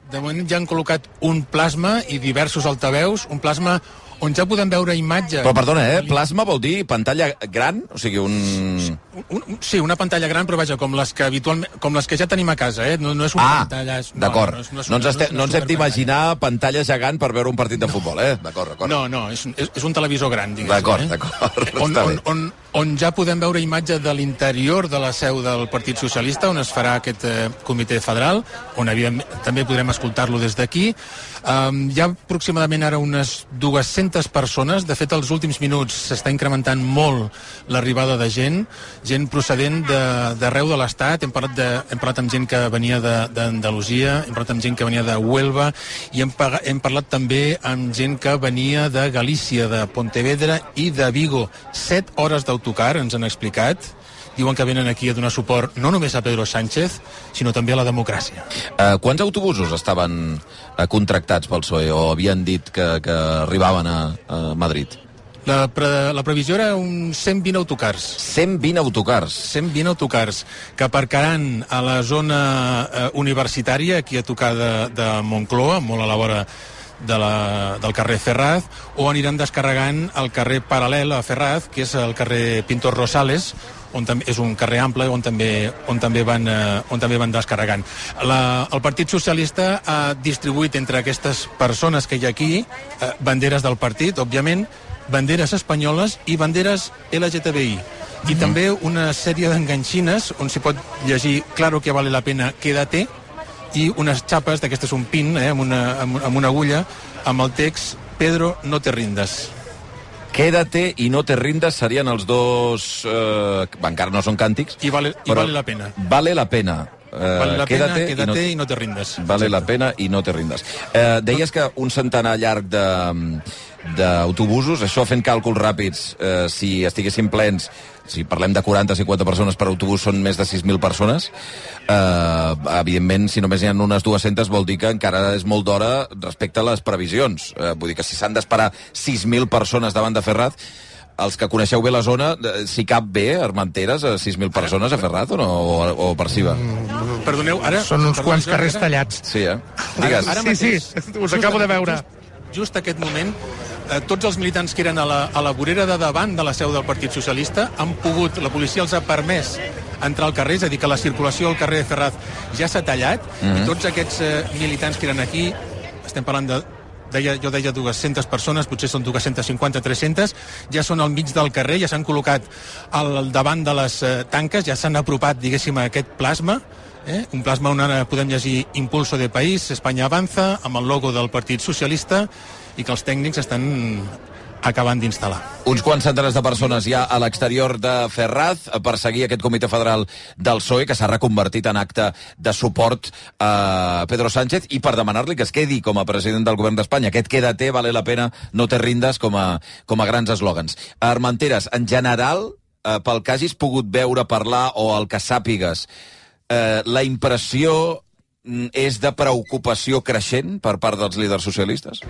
de moment ja han col·locat un plasma i diversos altaveus, un plasma on ja podem veure imatges... Però perdona, plasma vol dir pantalla gran? O sigui, Sí, una pantalla gran, però vaja, com les que ja tenim a casa, No és una pantalla... D'acord. No ens hem d'imaginar pantalla gegant per veure un partit de futbol, D'acord. No, és un televisor gran, diguéssim. D'acord. On ja podem veure imatge de l'interior de la seu del Partit Socialista, on es farà aquest comitè federal, on evidentment també podrem escoltar-lo des d'aquí. Hi ha aproximadament ara unes 200 persones. De fet, als últims minuts s'està incrementant molt l'arribada de gent procedent d'arreu de l'Estat. Hem parlat amb gent que venia d'Andalusia, hem parlat amb gent que venia de Huelva i hem parlat també amb gent que venia de Galícia, de Pontevedra i de Vigo. 7 hores d'autocar, ens han explicat. Diuen que venen aquí a donar suport no només a Pedro Sánchez, sinó també a la democràcia. Quants autobusos estaven contractats pel PSOE o havien dit que arribaven a Madrid? La previsió era uns 120 autocars. 120 autocars? 120 autocars que aparcaran a la zona universitària, aquí a tocar de Moncloa, molt a la vora del carrer Ferraz, o aniran descarregant el carrer paral·lel a Ferraz, que és el carrer Pintor Rosales, on és un carrer ample on també van descarregant. El Partit Socialista ha distribuït entre aquestes persones que hi ha aquí banderes del partit, òbviament, banderes espanyoles i banderes LGTBI. I també una sèrie d'enganxines on s'hi pot llegir "Claro que vale la pena, quédate", i unes xapes, d'aquestes un pin, amb una agulla, amb el text "Pedro, no te rindas". Quédate i no te rindas serien els dos... encara no són càntics. I vale la pena. Vale la pena. Vale la pena, quédate i no te rindas. Vale la pena i no te rindas. Deies que un centenar llarg d'autobusos, això fent càlculs ràpids, si estiguessin plens, si parlem de 40-50 persones per autobús, són més de 6.000 persones. Evidentment, si només hi ha unes 200, vol dir que encara és molt d'hora respecte a les previsions. Vull dir que si s'han d'esperar 6.000 persones davant de Ferraz, els que coneixeu bé la zona, si cap bé, Armenteres, a 6.000 persones a Ferraz o no? O Perciba? Perdoneu, ara... Són uns quants carrers tallats. Sí, Digues. Sí, us acabo de veure. Just aquest moment, tots els militants que eren a la vorera de davant de la seu del Partit Socialista han pogut, la policia els ha permès entrar al carrer, és a dir, que la circulació al carrer de Ferraz ja s'ha tallat, i tots aquests militants que eren aquí, estem parlant jo deia 200 persones, potser són 250, 300, ja són al mig del carrer, ja s'han col·locat al davant de les tanques, ja s'han apropat, diguéssim, a aquest plasma, un plasma on ara podem llegir "Impulso de país, España avanza", amb el logo del Partit Socialista, i que els tècnics estan acabant d'instal·lar. Uns quants centenars de persones ja a l'exterior de Ferraz per seguir aquest comitè federal del PSOE, que s'ha reconvertit en acte de suport a Pedro Sánchez i per demanar-li que es quedi com a president del govern d'Espanya. Aquest "quédate, vale la pena, no te rindas" com a grans eslògans. Armenteres, en general, pel que hagis pogut veure, parlar o el que sàpigues, la impressió és de preocupació creixent per part dels líders socialistes?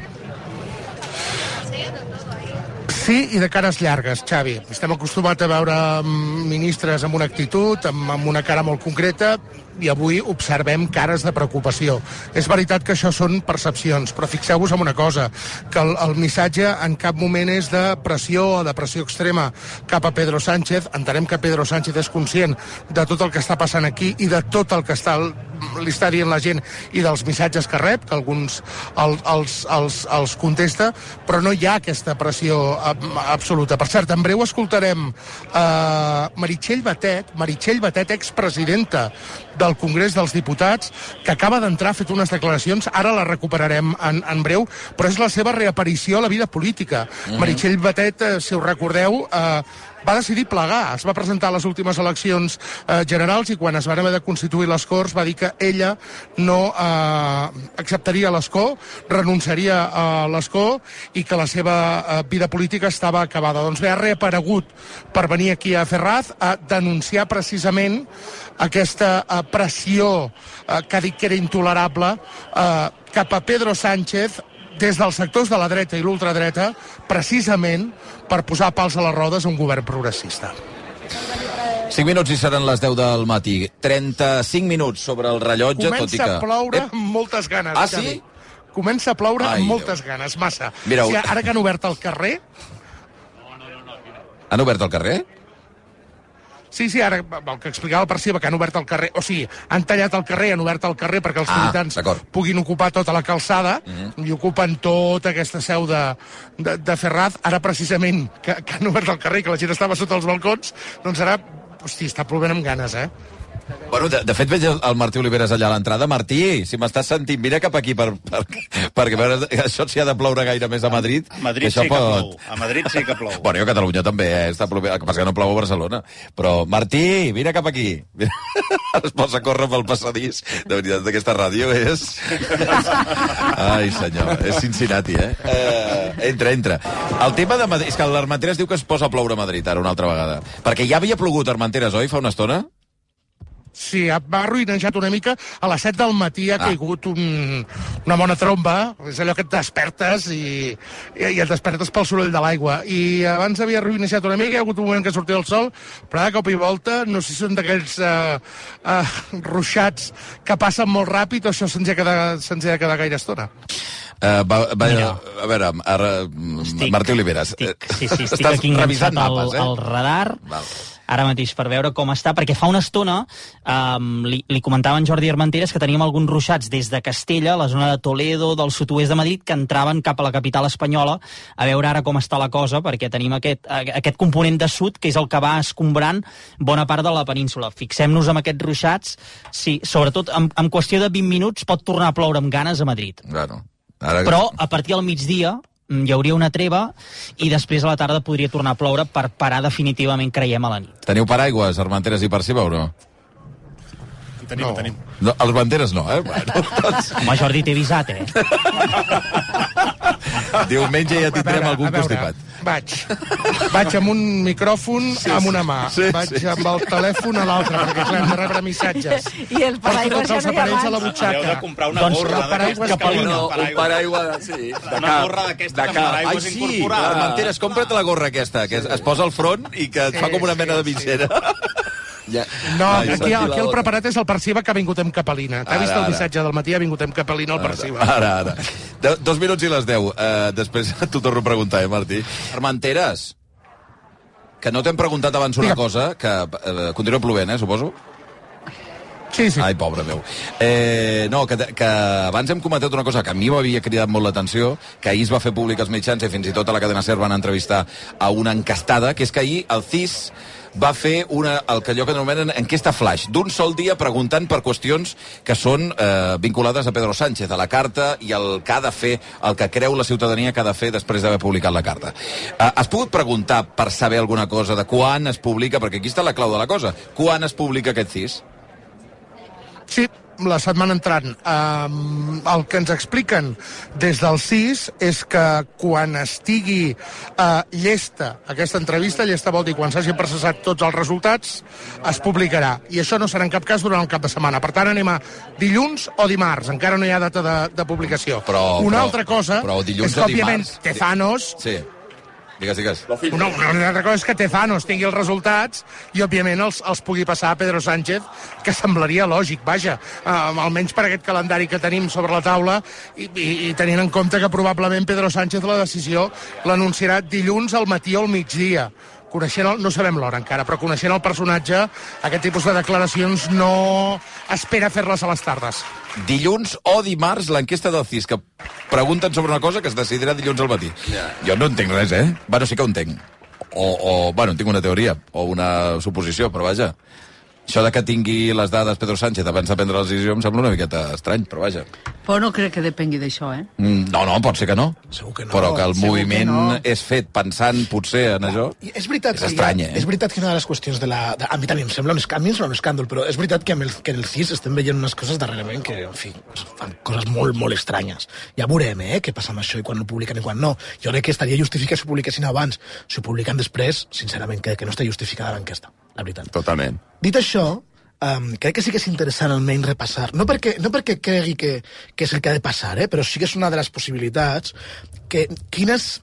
Sí, i de cares llargues, Xavi. Estem acostumats a veure ministres amb una actitud, amb una cara molt concreta, i avui observem cares de preocupació. És veritat que això són percepcions, però fixeu-vos en una cosa, que el missatge en cap moment és de pressió o de pressió extrema cap a Pedro Sánchez. Entenem que Pedro Sánchez és conscient de tot el que està passant aquí i de tot el que li està dient la gent i dels missatges que rep, que alguns els contesta, però no hi ha aquesta pressió absoluta. Per cert, en breu escoltarem Meritxell Batet, expresidenta del Congrés dels Diputats, que acaba d'entrar, ha fet unes declaracions, ara la recuperarem en breu, però és la seva reaparició a la vida política. Meritxell Batet, si us recordeu, va decidir plegar, es va presentar a les últimes eleccions generals i quan es van haver de constituir les Corts va dir que ella no acceptaria l'escó, renunciaria a l'escó i que la seva vida política estava acabada. Doncs bé, ha reaparegut per venir aquí a Ferraz a denunciar precisament aquesta pressió que ha dit que era intolerable cap a Pedro Sánchez des dels sectors de la dreta i l'ultradreta, precisament per posar pals a les rodes a un govern progressista. 5 minuts i seran les 10 del matí. 35 minuts sobre el rellotge, tot i que... Comença a ploure amb moltes ganes. Ah, sí? Comença a ploure amb moltes ganes, massa. Mireu. O sigui, ara que han obert el carrer... Han obert el carrer? Sí, ara el que explicava el Perciba, que han obert el carrer, o sigui, han tallat el carrer, han obert el carrer perquè els militants puguin ocupar tota la calçada i ocupen tota aquesta seu de Ferraz. Ara, precisament, que han obert el carrer i que la gent estava sota els balcons, doncs ara, hosti, està plovent amb ganes, Bueno, de fet veig el Martí Oliveres allà a l'entrada. Martí, si m'estàs sentint, vine cap aquí perquè veure, això s'hi ha de ploure gaire més a Madrid. A Madrid sí que plou. A Madrid sí que plou. Bueno, a Catalunya també, està plovent. El que passa que no plou a Barcelona. Però, Martí, vine cap aquí. Es posa a córrer pel passadís. De veritat, d'aquesta ràdio és... Ai, senyor, és Cincinnati, Entra. El tema de Madrid... És que l'Armenteres diu que es posa a ploure a Madrid ara una altra vegada. Perquè ja havia plogut a Armenteres, oi, fa una estona? Sí, va arruïnejat una mica. A les 7 del matí ha caigut una bona tromba. És allò que et despertes i et despertes pel soroll de l'aigua. I abans havia arruïnejat una mica, hi ha hagut un moment que sortia el sol, però de cop i volta, no sé si són d'aquells ruixats que passen molt ràpid o això se'ns ha de quedar gaire estona. A veure, Martí Oliveres. Estic aquí enganxat al radar. Ara mateix per veure com està, perquè fa una estona li comentava en Jordi Armenteres que teníem alguns ruixats des de Castella, la zona de Toledo, del sud-oest de Madrid, que entraven cap a la capital espanyola. A veure ara com està la cosa, perquè tenim aquest component de sud, que és el que va escombrant bona part de la península. Fixem-nos en aquests ruixats, sí, sobretot en qüestió de 20 minuts pot tornar a ploure amb ganes a Madrid. Claro. Però a partir del migdia hi hauria una treva i després a la tarda podria tornar a ploure per parar definitivament, creiem, a la nit. Teniu paraigües, Armenteres i Perciba, o no? Tenim. No, els Armenteres no, Bueno, doncs... Home, Jordi, t'he avisat, Diumenge ja tindrem algun constipat. Vaig amb un micròfon amb una mà. Vaig amb el telèfon a l'altra, perquè clar, hem de rebre missatges. I el paraigües ja no hi ha a la butxaca. Heu de comprar una gorra d'aquesta. Un paraigua, sí. Una gorra d'aquesta amb paraigües incorporat. Armenteres, compra't la gorra aquesta, que es posa al front i que et fa com una mena de visera. No, aquí el preparat és el Perciba, que ha vingut amb capelina. T'ha vist el missatge del matí, ha vingut amb capelina el Perciba. Ara. 2 minuts i les 10. Després t'ho torno a preguntar, Martí. Armenteres, que no t'hem preguntat abans una cosa, que continua plovent, suposo? Sí. Ai, pobre meu. No, que abans hem comentat una cosa que a mi m'havia cridat molt l'atenció, que ahir es va fer públic als mitjans i fins i tot a la cadena SER van entrevistar a una encastada, que és que ahir el CIS va fer el que allò que anomenen enquesta flash, d'un sol dia preguntant per qüestions que són vinculades a Pedro Sánchez, a la carta i el que ha de fer, el que creu la ciutadania que ha de fer després d'haver publicat la carta. Has pogut preguntar per saber alguna cosa de quan es publica, perquè aquí està la clau de la cosa, quan es publica aquest CIS? Sí, la setmana entrant. El que ens expliquen des del CIS és que quan estigui llesta aquesta entrevista, llesta vol dir quan s'hagin processat tots els resultats, es publicarà. I això no serà en cap cas durant el cap de setmana. Per tant, anem a dilluns o dimarts. Encara no hi ha data de publicació. Una altra cosa és que, òbviament, Tezanos... Sí. Digues. Una altra cosa és que Tezanos tingui els resultats i, òbviament, els pugui passar a Pedro Sánchez, que semblaria lògic, vaja, almenys per aquest calendari que tenim sobre la taula i tenint en compte que probablement Pedro Sánchez la decisió l'anunciarà dilluns al matí o al migdia. No sabem l'hora encara, però coneixent el personatge, aquest tipus de declaracions no espera fer-les a les tardes. Dilluns o dimarts, l'enquesta del CIS, que pregunten sobre una cosa que es decidirà dilluns al matí. Jo no entenc res, Bueno, sí que ho entenc. Bueno, tinc una teoria, o una suposició, però vaja. Això de que tingui les dades Pedro Sánchez abans de prendre la decisió em sembla una miqueta estrany, però vaja. Però no crec que depengui d'això, No, pot ser que no. Segur que no. Però que el moviment és fet pensant potser en això, és veritat, és estrany, És veritat que una de les qüestions de la... A mi també em sembla un escàndol, però és veritat que en el CIS estem veient unes coses darrerament que, en fi, fan coses molt, molt estranyes. Ja veurem, què passa amb això i quan ho publiquen i quan no. Jo crec que estaria justificat si ho publiquessin abans. Si ho publiquen després, sincerament, crec que no està justificada l'enquesta, la veritat. Totalment. Dit això, crec que sí que és interessant almenys repassar, no perquè cregui que és el que ha de passar, però sí que és una de les possibilitats que quins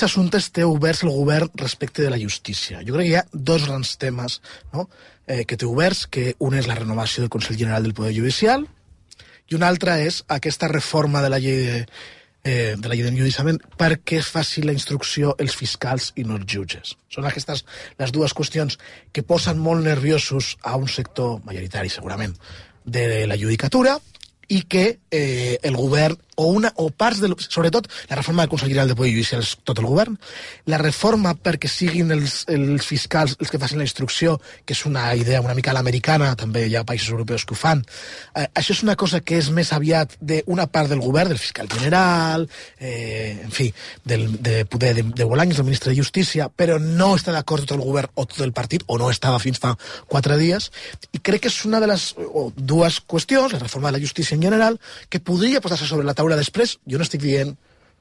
assumptes té oberts el govern respecte de la justícia. Jo crec que hi ha dos grans temes, no? Que té oberts, que un és la renovació del Consell General del Poder Judicial i un altre és aquesta reforma de la llei d'enjudiciament perquè faci la instrucció els fiscals i no els jutges. Són aquestes les dues qüestions que posen molt nerviosos a un sector majoritari, segurament, de la judicatura i que el govern o parts sobretot la reforma del Consell General del Poder Judicial és tot el govern, la reforma perquè siguin els fiscals els que facin la instrucció, que és una idea una mica a l'americana, també hi ha països europeus que ho fan, això és una cosa que és més aviat d'una part del govern, del fiscal general, en fi, de Bolaños, del ministre de Justícia, però no està d'acord tot el govern o tot el partit, o no estava fins fa 4 dies, i crec que és una de les dues qüestions, la reforma de la justícia en general, que podria posar-se sobre la taula després. Jo no estic dient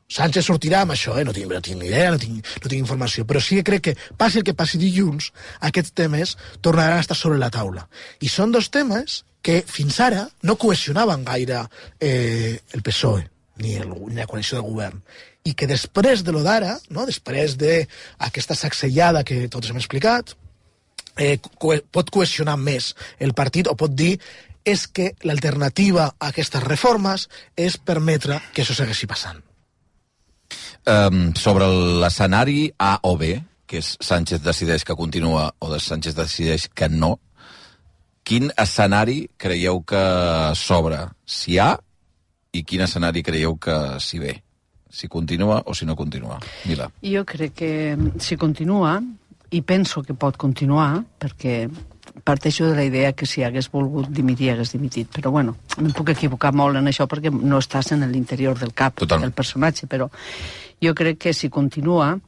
Sánchez sortirà amb això, no tinc ni idea, no tinc informació, però sí que crec que passi el que passi dilluns, aquests temes tornaran a estar sobre la taula. I són dos temes que fins ara no cohesionaven gaire el PSOE ni la coalició de govern, i que després de lo d'ara, no? Després d'aquesta sacsejada que tots hem explicat, pot cohesionar més el partit o pot dir és que l'alternativa a aquestes reformes és permetre que això segueixi passant. Sobre l'escenari A o B, que és Sánchez decideix que continua o Sánchez decideix que no, quin escenari creieu que s'obre? Si A, i quin escenari creieu que si B? Si continua o si no continua? Mila. Jo crec que si continua, i penso que pot continuar, perquè parteixo de la idea que si hagués volgut dimitir, hagués dimitit. Però bueno, em puc equivocar molt en això perquè no estàs en l'interior del cap del personatge, però jo crec que si continua,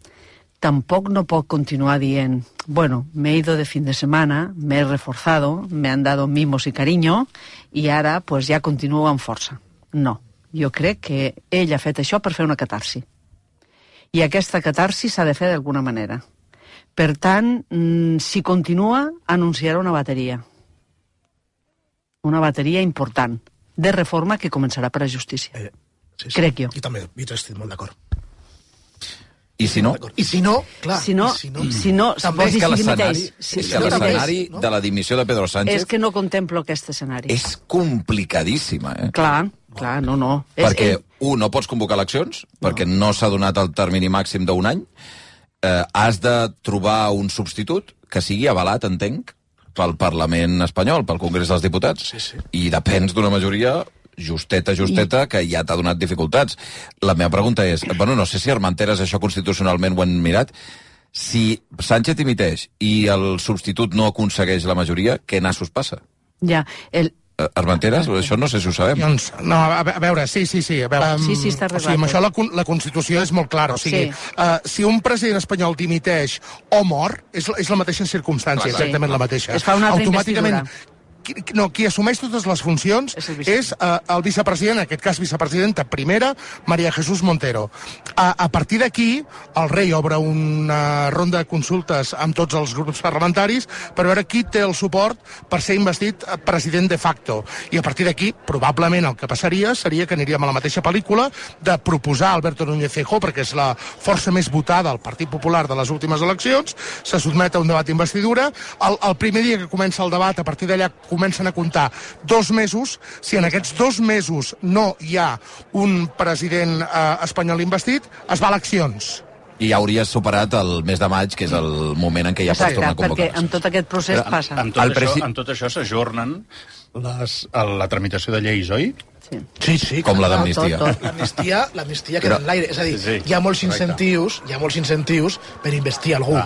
tampoc no pot continuar dient, bueno, me he ido de fin de semana, me he reforzado, me han dado mimos y cariño, y ara pues ja continua amb força. No, jo crec que ell ha fet això per fer una catarsi. I aquesta catarsi s'ha de fer d'alguna manera. Per tant, si continua, anunciarà una bateria. Una bateria important de reforma que començarà per la justícia. Sí. Crec jo. I també, jo estic molt d'acord. I si no? I si no, clar. Si no, també és que l'escenari de la dimissió de Pedro Sánchez... És que no contemplo aquest escenari. És complicadíssima, Clar, no. Perquè, no pots convocar eleccions, perquè no s'ha donat el termini màxim d'un any, has de trobar un substitut que sigui avalat, entenc, pel Parlament espanyol, pel Congrés dels Diputats, i depens d'una majoria justeta, que ja t'ha donat dificultats. La meva pregunta és, no sé si Armenteres això constitucionalment ho han mirat, si Sánchez dimiteix i el substitut no aconsegueix la majoria, què nassos passa? Ja, Armenteres, això no sé si ho sabem. No, a veure, sí. A veure, sí, està arreglat. Amb això la Constitució és molt clara. O sigui, si un president espanyol dimiteix o mor, és la mateixa circumstància, exactament la mateixa. Es fa una altra investidura. qui assumeix totes les funcions és el vicepresident, en aquest cas vicepresidenta primera, María Jesús Montero. A partir d'aquí, el rei obre una ronda de consultes amb tots els grups parlamentaris per veure qui té el suport per ser investit president de facto. I a partir d'aquí, probablement el que passaria seria que aniríem a la mateixa pel·lícula de proposar Alberto Núñez Feijóo, perquè és la força més votada al Partit Popular de les últimes eleccions, se sotmet a un debat d'investidura. El primer dia que comença el debat, a partir d'allà comencen a comptar 2 mesos. Si en aquests 2 mesos no hi ha un president espanyol investit, es va a eleccions. I ja hauries superat el mes de maig, que és el moment en què ja pots tornar a convocar. Perquè en tot aquest procés passa. En tot això s'ajornen la tramitació de lleis, oi? Sí. Com la d'amnistia. L'amnistia queda en l'aire. És a dir, hi ha molts incentius per investir algú.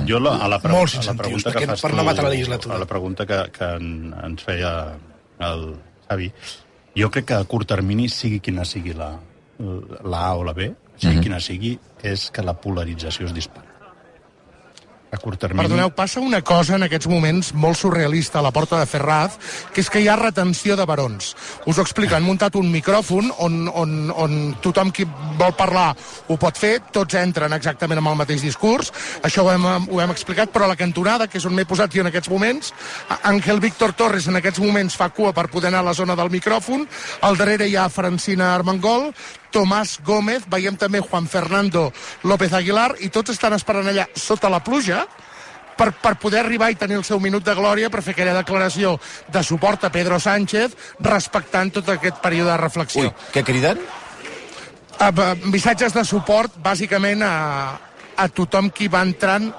Jo a la molts incentius per no matar la legislatura. A la pregunta que ens feia el Xavi, jo crec que a curt termini, sigui quina sigui la A o la B, sigui quina sigui, és que la polarització es dispara. A curt termini... Perdoneu, passa una cosa en aquests moments molt surrealista a la porta de Ferraz, que és que hi ha retenció de barons. Us ho explico, han muntat un micròfon on tothom qui vol parlar ho pot fer, tots entren exactament amb el mateix discurs, això ho hem explicat, però a la cantonada, que és on m'he posat jo en aquests moments, Ángel Víctor Torres en aquests moments fa cua per poder anar a la zona del micròfon, al darrere hi ha Francina Armengol, Tomàs Gómez, veiem també Juan Fernando López Aguilar, i tots estan esperant allà sota la pluja per poder arribar i tenir el seu minut de glòria per fer aquella declaració de suport a Pedro Sánchez, respectant tot aquest període de reflexió. Ui, què criden? Missatges de suport, bàsicament, a tothom qui va entrant.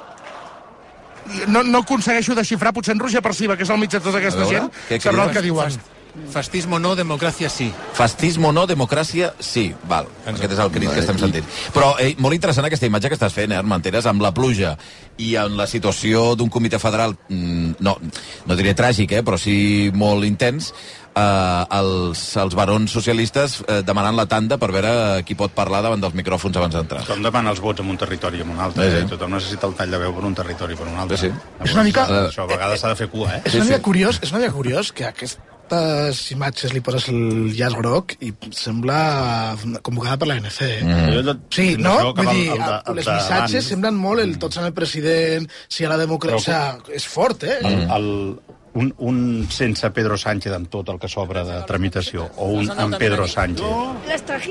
No aconsegueixo desxifrar, potser en Roger Perciba, que és al mig de tota aquesta gent, sabrà el que diuen. Fascismo no, democràcia sí. Fascismo no, democràcia sí. Val, aquest és el crit que estem sentint. Però molt interessant aquesta imatge que estàs fent, Armenteres, amb la pluja i en la situació d'un comitè federal, no diré tràgic, però sí molt intens, els barons socialistes demanant la tanda per veure qui pot parlar davant dels micròfons abans d'entrar. Tothom demana els vots en un territori i en un altre. Tothom necessita el tall de veu per un territori i per un altre. És una mica... Això a vegades s'ha de fer cua, És una mica curiós que aquestes imatges li poses el llaç groc i sembla convocada per l'ANC. Sí, no? Vull dir, les missatges semblen molt el tots amb el president, si a la democràcia... És fort, Un sense Pedro Sánchez amb tot el que s'obre de tramitació, o un amb Pedro Sánchez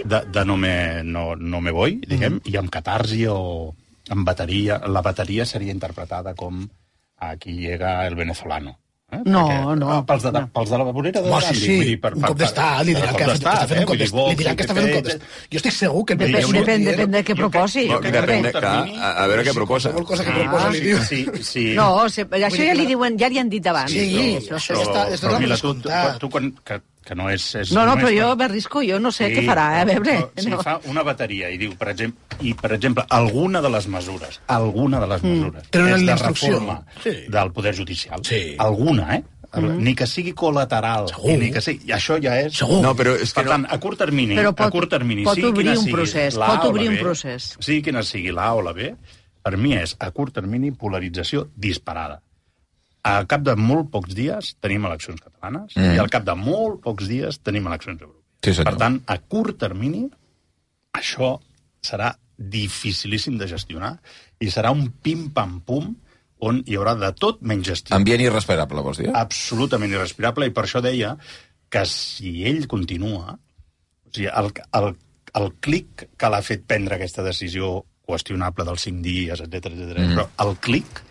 de no me voy, diguem, i amb catarsi o amb bateria. La bateria seria interpretada com aquí llega el venezolano. No. Pels de la vorera de Gandhi. Sí, un cop d'estat, li diran que està fent un cop d'estat. Jo estic segur que... Depèn de què proposi. A veure què proposa. Qualsevol cosa que proposa li diu. No, això ja li han dit abans. Sí, això està descomptat. Tu que no és... No, però jo m'arrisco, jo no sé què farà, a veure. Si fa una bateria i diu, per exemple, alguna de les mesures és de reforma del Poder Judicial, alguna, ni que sigui col·lateral, ni que sigui... Això ja és... No, però és que per tant, a curt termini, pot obrir un procés. Sigui quina sigui la A o la B, per mi és, a curt termini, polarització disparada. Al cap de molt pocs dies tenim eleccions catalanes i al cap de molt pocs dies tenim eleccions europees. Per tant, a curt termini, això serà dificilíssim de gestionar i serà un pim-pam-pum on hi haurà de tot menys gestió. Ambient irrespirable, vols dir? Absolutament irrespirable, i per això deia que si ell continua, o sigui, el clic que l'ha fet prendre aquesta decisió qüestionable dels 5 dies, etc, però el clic,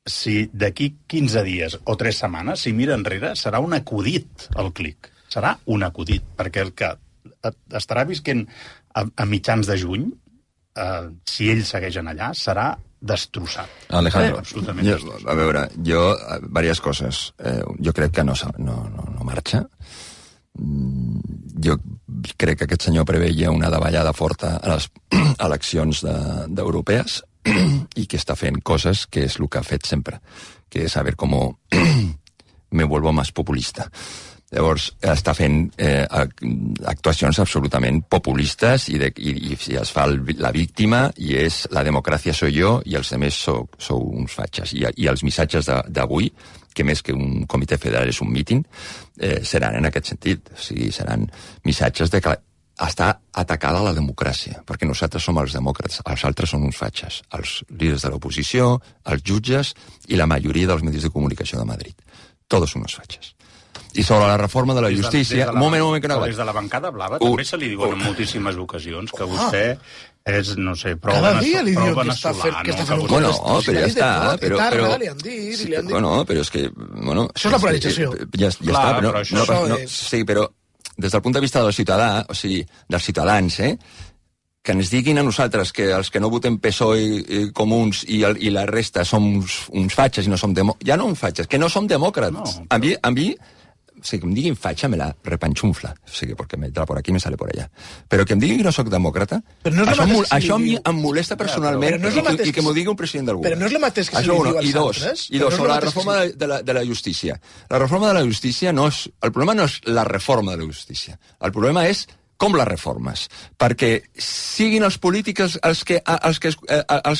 si d'aquí 15 dies o 3 setmanes, si mira enrere, serà un acudit, el clic. Serà un acudit, perquè el que estarà visquent a mitjans de juny, si ell segueix allà, serà destrossat. Alejandro. Absolutament destrossat. A veure, diverses coses. Jo crec que no marxa. Jo crec que aquest senyor preveia una davallada forta a les eleccions europees y que está fent cosas que es lo que ha fet sempre, que es a ver cómo me vuelvo más populista. Llavors, està fent actuacions absolutament populistes i es fa la víctima i és la democràcia soy jo i els altres sou uns fatxes. I els missatges d'avui, que més que un comitè federal és un míting, seran en aquest sentit. O sigui, seran missatges de que està atacada la democràcia, perquè nosaltres som els demòcrates, els altres són uns fatxes, els líders de l'oposició, els jutges i la majoria dels mitjans de comunicació de Madrid. Tots són uns fatxes. I sobre la reforma de la justícia... Un moment, que no... Des de la bancada blava també se li diuen en moltíssimes ocasions que vostè és, no sé, prou venezolano... Bueno, però ja està, però... Li han dit... Bueno, però és que... Això és la polarització. Ja està, però... Sí, però des del punt de vista del ciutadà, o sigui, dels ciutadans, que ens diguin a nosaltres que els que no votem PSOE, Comuns i la resta som uns fatxes i no som demòcrates... Ja no uns fatxes, que no som demòcrates. A mi... O sigui, que em diguin fatxa me la repanxunfla. O sigui, perquè me entra por aquí i me sale por allá. Però que em diguin que no soc demòcrata, això em molesta personalment i que m'ho digui un president del govern. Però no és el mateix que se li diu als altres. I dos, sobre la reforma de la justícia. La reforma de la justícia no és... El problema no és la reforma de la justícia. El problema és com la reformes. Perquè siguin els polítics els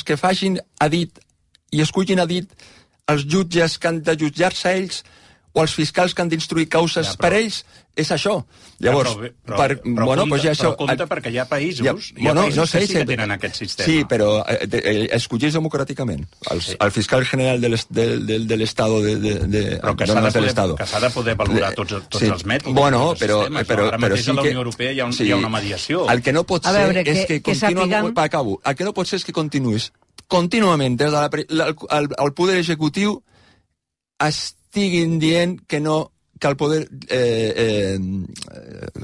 que facin a dit i escullin a dit els jutges que han de jutjar-se ells o els fiscals que han d'instruir causes per ells, és això. Llavors, però compte perquè hi ha països que sí que tenen aquest sistema. Sí, però escolleix democràticament. El fiscal general de l'Estado... Però que s'ha de poder valorar tots els mètodes. Bueno, però... Ara mateix a la Unió Europea hi ha una mediació. El que no pot ser és que continuïs contínuament des del poder executiu estiguin dient que el poder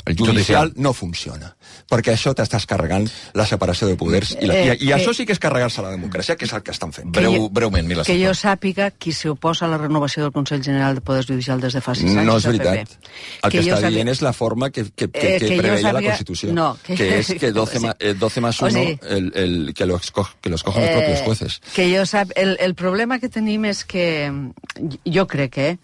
el judicial no funciona. Perquè això t'estàs carregant la separació de poders. I això sí que és carregar-se la democràcia, que és el que estan fent. Breument, Mila. Que jo sàpiga qui s'oposa a la renovació del Consell General de Poder Judicial des de fa 6 anys. No és veritat. El que està dient és la forma que preveia la Constitució. Que és que 12 más 1 que lo escogen los propios jueces. Que jo el problema que tenim és que jo crec que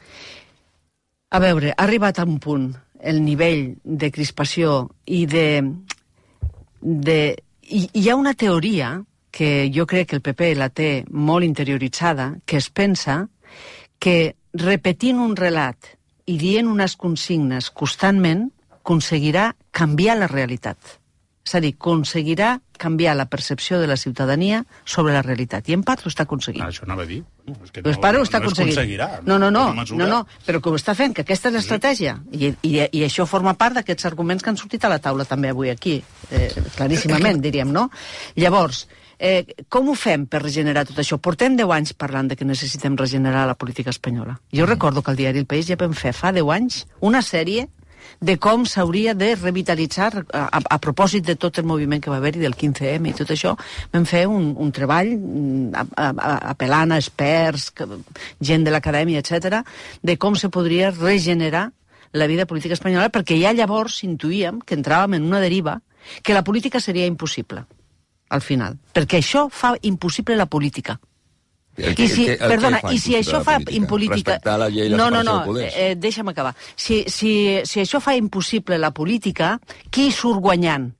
a veure, ha arribat a un punt el nivell de crispació i hi ha una teoria que jo crec que el PP la té molt interioritzada, que es pensa que repetint un relat i dient unes consignes constantment aconseguirà canviar la realitat. És a dir, aconseguirà canviar la percepció de la ciutadania sobre la realitat. I en part ho està aconseguint. Això anava a dir. Ho està aconseguint. No, però que ho està fent, que aquesta és l'estratègia. I això forma part d'aquests arguments que han sortit a la taula també avui aquí, claríssimament, diríem, no? Llavors, com ho fem per regenerar tot això? Portem 10 anys parlant de que necessitem regenerar la política espanyola. Jo recordo que al diari El País ja vam fer fa 10 anys una sèrie de com s'hauria de revitalitzar a propòsit de tot el moviment que va haver-hi del 15M i tot això. Vam fer un treball apel·lant a experts, gent de l'acadèmia, etc., de com se podria regenerar la vida política espanyola, perquè ja llavors intuïem que entràvem en una deriva que la política seria impossible, al final. Perquè això fa impossible la política. I si això fa impolítica... Respectar la llei i la separació de poders. Deixa'm acabar. Si això fa impossible la política, qui surt guanyant?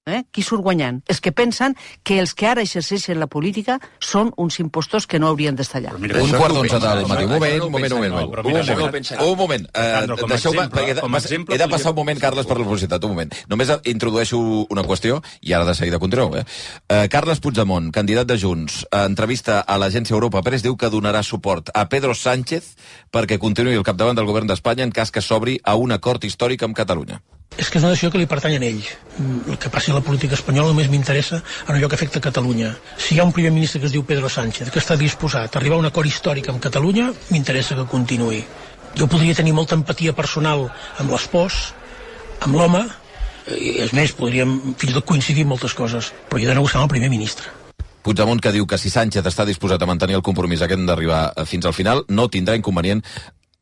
Qui surt guanyant? Els que pensen que els que ara exerceixen la política són uns impostors que no haurien d'estar allà. Un quart d'onze del matí. Un moment. He de passar un moment, Carles, per la velocitat. Un moment. Només introdueixo una qüestió i ara de seguida continueu. Carles Puigdemont, candidat de Junts, entrevista a l'agència Europa Press, diu que donarà suport a Pedro Sánchez perquè continuï al capdavant del govern d'Espanya en cas que s'obri a un acord històric amb Catalunya. És que és una decisió que li pertany a ell. El que passi a la política espanyola només m'interessa en allò que afecta Catalunya. Si hi ha un primer ministre que es diu Pedro Sánchez, que està disposat a arribar a un acord històric amb Catalunya, m'interessa que continuï. Jo podria tenir molta empatia personal amb l'espòs, amb l'home, i és més, podríem fins i tot coincidir en moltes coses, però he d'anar buscant el primer ministre. Puigdemont, que diu que si Sánchez està disposat a mantenir el compromís aquest d'arribar fins al final, no tindrà inconvenient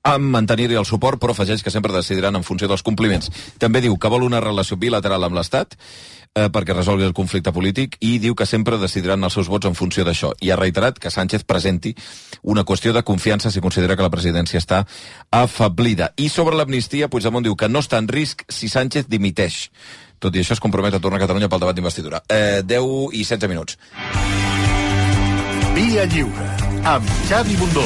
amb mantenir-hi el suport, però afegeix que sempre decidiran en funció dels compliments. També diu que vol una relació bilateral amb l'Estat perquè resolgui el conflicte polític i diu que sempre decidiran els seus vots en funció d'això. I ha reiterat que Sánchez presenti una qüestió de confiança si considera que la presidència està afablida. I sobre l'amnistia, Puigdemont diu que no està en risc si Sánchez dimiteix. Tot i això es compromet a tornar a Catalunya pel debat d'investidura. 10 i 16 minuts. Via Lliure, amb Xavi Bundó.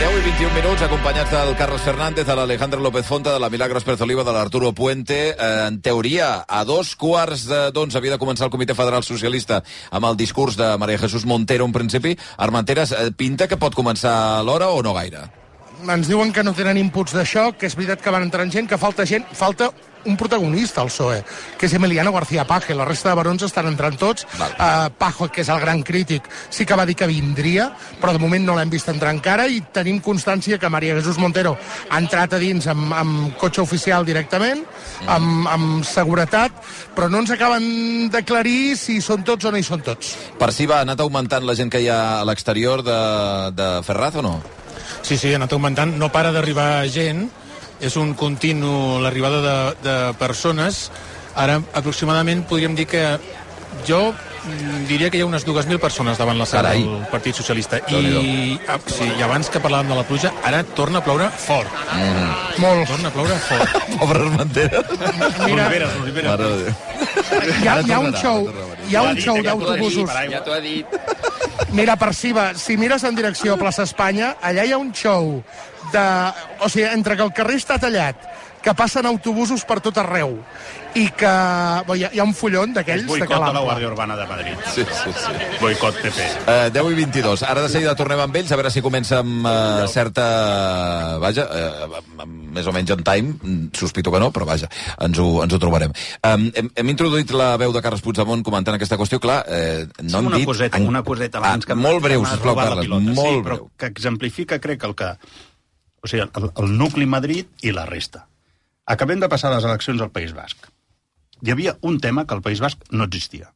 10 i 21 minuts, acompanyats del Carlos Fernández, de l'Alejandro López Fonta, de la Milagros Pérez Oliva, de l'Arturo Puente. En teoria, a 2:15 havia de començar el Comitè Federal Socialista amb el discurs de María Jesús Montero en principi. Armenteres, pinta que pot començar a l'hora o no gaire? Ens diuen que no tenen inputs d'això, que és veritat que van entrant gent, que falta un protagonista al PSOE, que és Emiliano García Paje. La resta de barons estan entrant tots. Pajo, que és el gran crític, sí que va dir que vindria, però de moment no l'hem vist entrar encara, i tenim constància que María Jesús Montero ha entrat a dins amb cotxe oficial directament, amb seguretat, però no ens acaben d'aclarir si són tots o no hi són tots. Per si ha anat augmentant la gent que hi ha a l'exterior de Ferraz o no? Sí, ha anat augmentant. No para d'arribar gent. És un continu l'arribada de persones. Ara, aproximadament, podríem dir que jo diria que hi ha unes 2.000 persones davant la sala del Partit Socialista. I abans que parlàvem de la pluja, ara torna a ploure fort. Molt. Torna a ploure fort. Pobre Armenteres. Mira, hi ha un show d'autobusos. Ja t'ho ha dit. Mira, Perciba, si mires en direcció a Plaça Espanya, allà hi ha un show o sigui, entre que el carrer està tallat, que passen autobusos per tot arreu, i que hi ha un follon d'aquells de boicot a la Guàrdia Urbana de Madrid. Sí. Boicot PP. 10 i 22. Ara de seguida tornem amb ells, a veure si comença amb certa... més o menys on time. Sospito que no, però vaja, ens ho trobarem. Hem introduït la veu de Carles Puigdemont comentant aquesta qüestió. Clar, no hem dit... Una coseta abans que... Molt breu, sisplau, Carles. Molt breu. Que exemplifica, crec, o sigui, el nucli Madrid i la resta. Acabem de passar les eleccions al País Basc. Hi havia un tema que al País Basc no existia,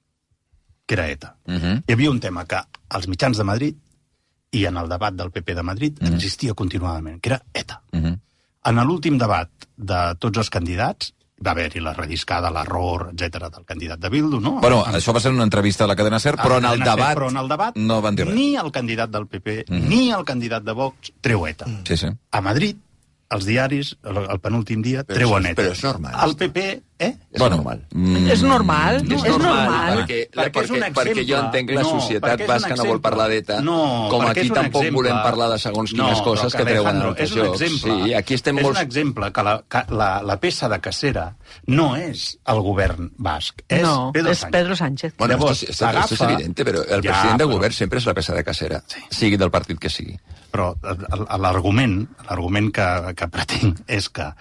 que era ETA. Hi havia un tema que als mitjans de Madrid i en el debat del PP de Madrid existia continuadament, que era ETA. En l'últim debat de tots els candidats va haver-hi la relliscada, l'error, etc del candidat de Bildu, no? Bueno, això va ser una entrevista a la cadena SER, però en el debat no van dir res. Ni el candidat del PP, ni el candidat de Vox treu ETA. Sí. A Madrid, els diaris, el penúltim dia, treuen ETA. Però és normal. El PP, És normal. És normal. És normal. Perquè jo entenc la societat basca no vol parlar d'ETA, com aquí tampoc volem parlar de segons quines coses que treuen altres llocs. Sí, aquí estem molts... És un exemple que la peça de cacera no és el govern basc, és Pedro Sánchez. Bueno, esto es evidente, pero el president del govern sempre és la peça de cacera, sigui del partit que sigui. Però l'argument que pretenc és que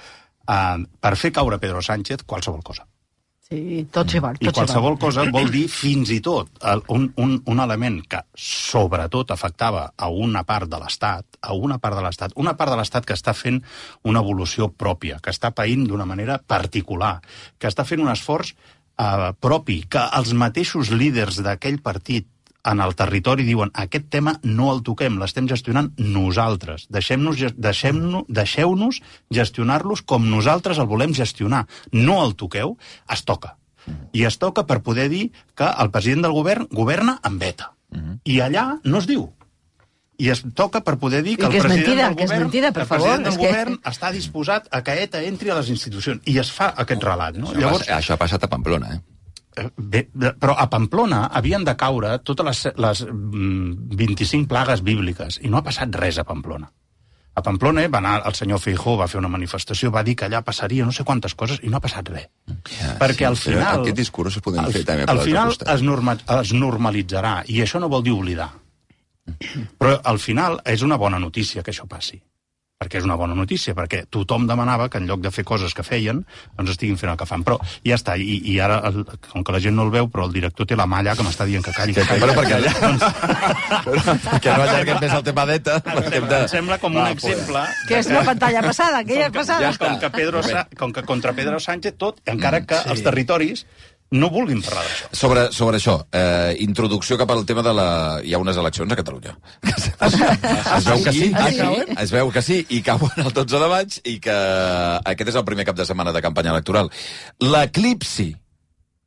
per fer caure Pedro Sánchez qualsevol cosa. Sí, tot s'hi val. I qualsevol cosa vol dir fins i tot un element que sobretot afectava a una part de l'Estat, una part de l'Estat que està fent una evolució pròpia, que està païnt d'una manera particular, que està fent un esforç propi, que els mateixos líders d'aquell partit en el territori diuen aquest tema no el toquem, l'estem gestionant nosaltres. Deixeu-nos gestionar-los com nosaltres el volem gestionar. No el toqueu, es toca. I es toca per poder dir que el president del govern governa amb ETA. I allà no es diu. I es toca per poder dir que el president del govern està disposat a que ETA entri a les institucions. I es fa aquest relat. No? Llavors, això ha passat a Pamplona, Bé, però a Pamplona havien de caure totes les 25 plagues bíbliques i no ha passat res a Pamplona. A Pamplona va anar el senyor Feijóo, va fer una manifestació, va dir que allà passaria no sé quantes coses i no ha passat res. Perquè al final... Aquest discurs es podem fer també per l'altre costat. Al final es normalitzarà i això no vol dir oblidar. Però al final és una bona notícia que això passi. Perquè és una bona notícia, perquè tothom demanava que en lloc de fer coses que feien, doncs estiguin fent el que fan. Però ja està, i ara, com que la gent no el veu, però el director té la mà allà que m'està dient que calli. Però perquè allà... Que no allarguem més el tema d'ETA. Em sembla com un exemple... Que és la pantalla passada, aquella passada. Com que contra Pedro Sánchez tot, encara que els territoris no vulguin parlar d'això. Sobre això, introducció cap al tema de la... Hi ha unes eleccions a Catalunya. Es veu que sí, es veu que sí, i cauen el 12 de maig, i que aquest és el primer cap de setmana de campanya electoral. L'eclipsi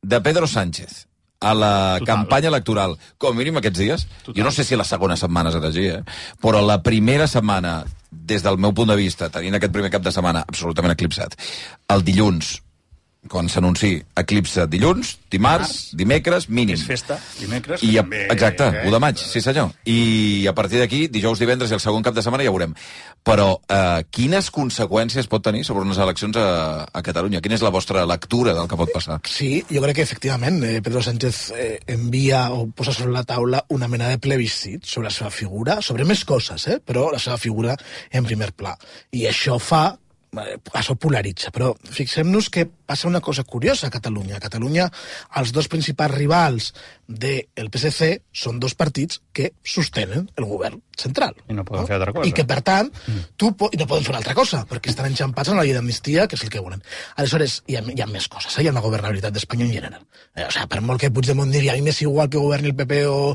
de Pedro Sánchez a la campanya electoral, com a mínim aquests dies, jo no sé si la segona setmana serà així, però la primera setmana, des del meu punt de vista, tenint aquest primer cap de setmana absolutament eclipsat, el dilluns, quan s'anunci eclipse dilluns, dimarts, dimecres, mínim. És festa, dimecres. També, exacte, 1 de maig, sí senyor. I a partir d'aquí, dijous, divendres i el segon cap de setmana ja veurem. Però quines conseqüències pot tenir sobre unes eleccions a Catalunya? Quina és la vostra lectura del que pot passar? Sí, jo crec que efectivament Pedro Sánchez envia o posa sobre la taula una mena de plebiscit sobre la seva figura, sobre més coses, però la seva figura en primer pla. I això això polaritza, però fixem-nos que passa una cosa curiosa a Catalunya. A Catalunya, els dos principals rivals del PSC són dos partits que sostenen el govern central. I no poden fer altra cosa. I que, per tant, no poden fer una altra cosa, perquè estan enxampats en la llei d'amnistia, que és el que volen. Aleshores, hi ha més coses, hi ha una governabilitat d'Espanya en general. Per molt que Puigdemont digui, a mi m'és igual que governi el PP o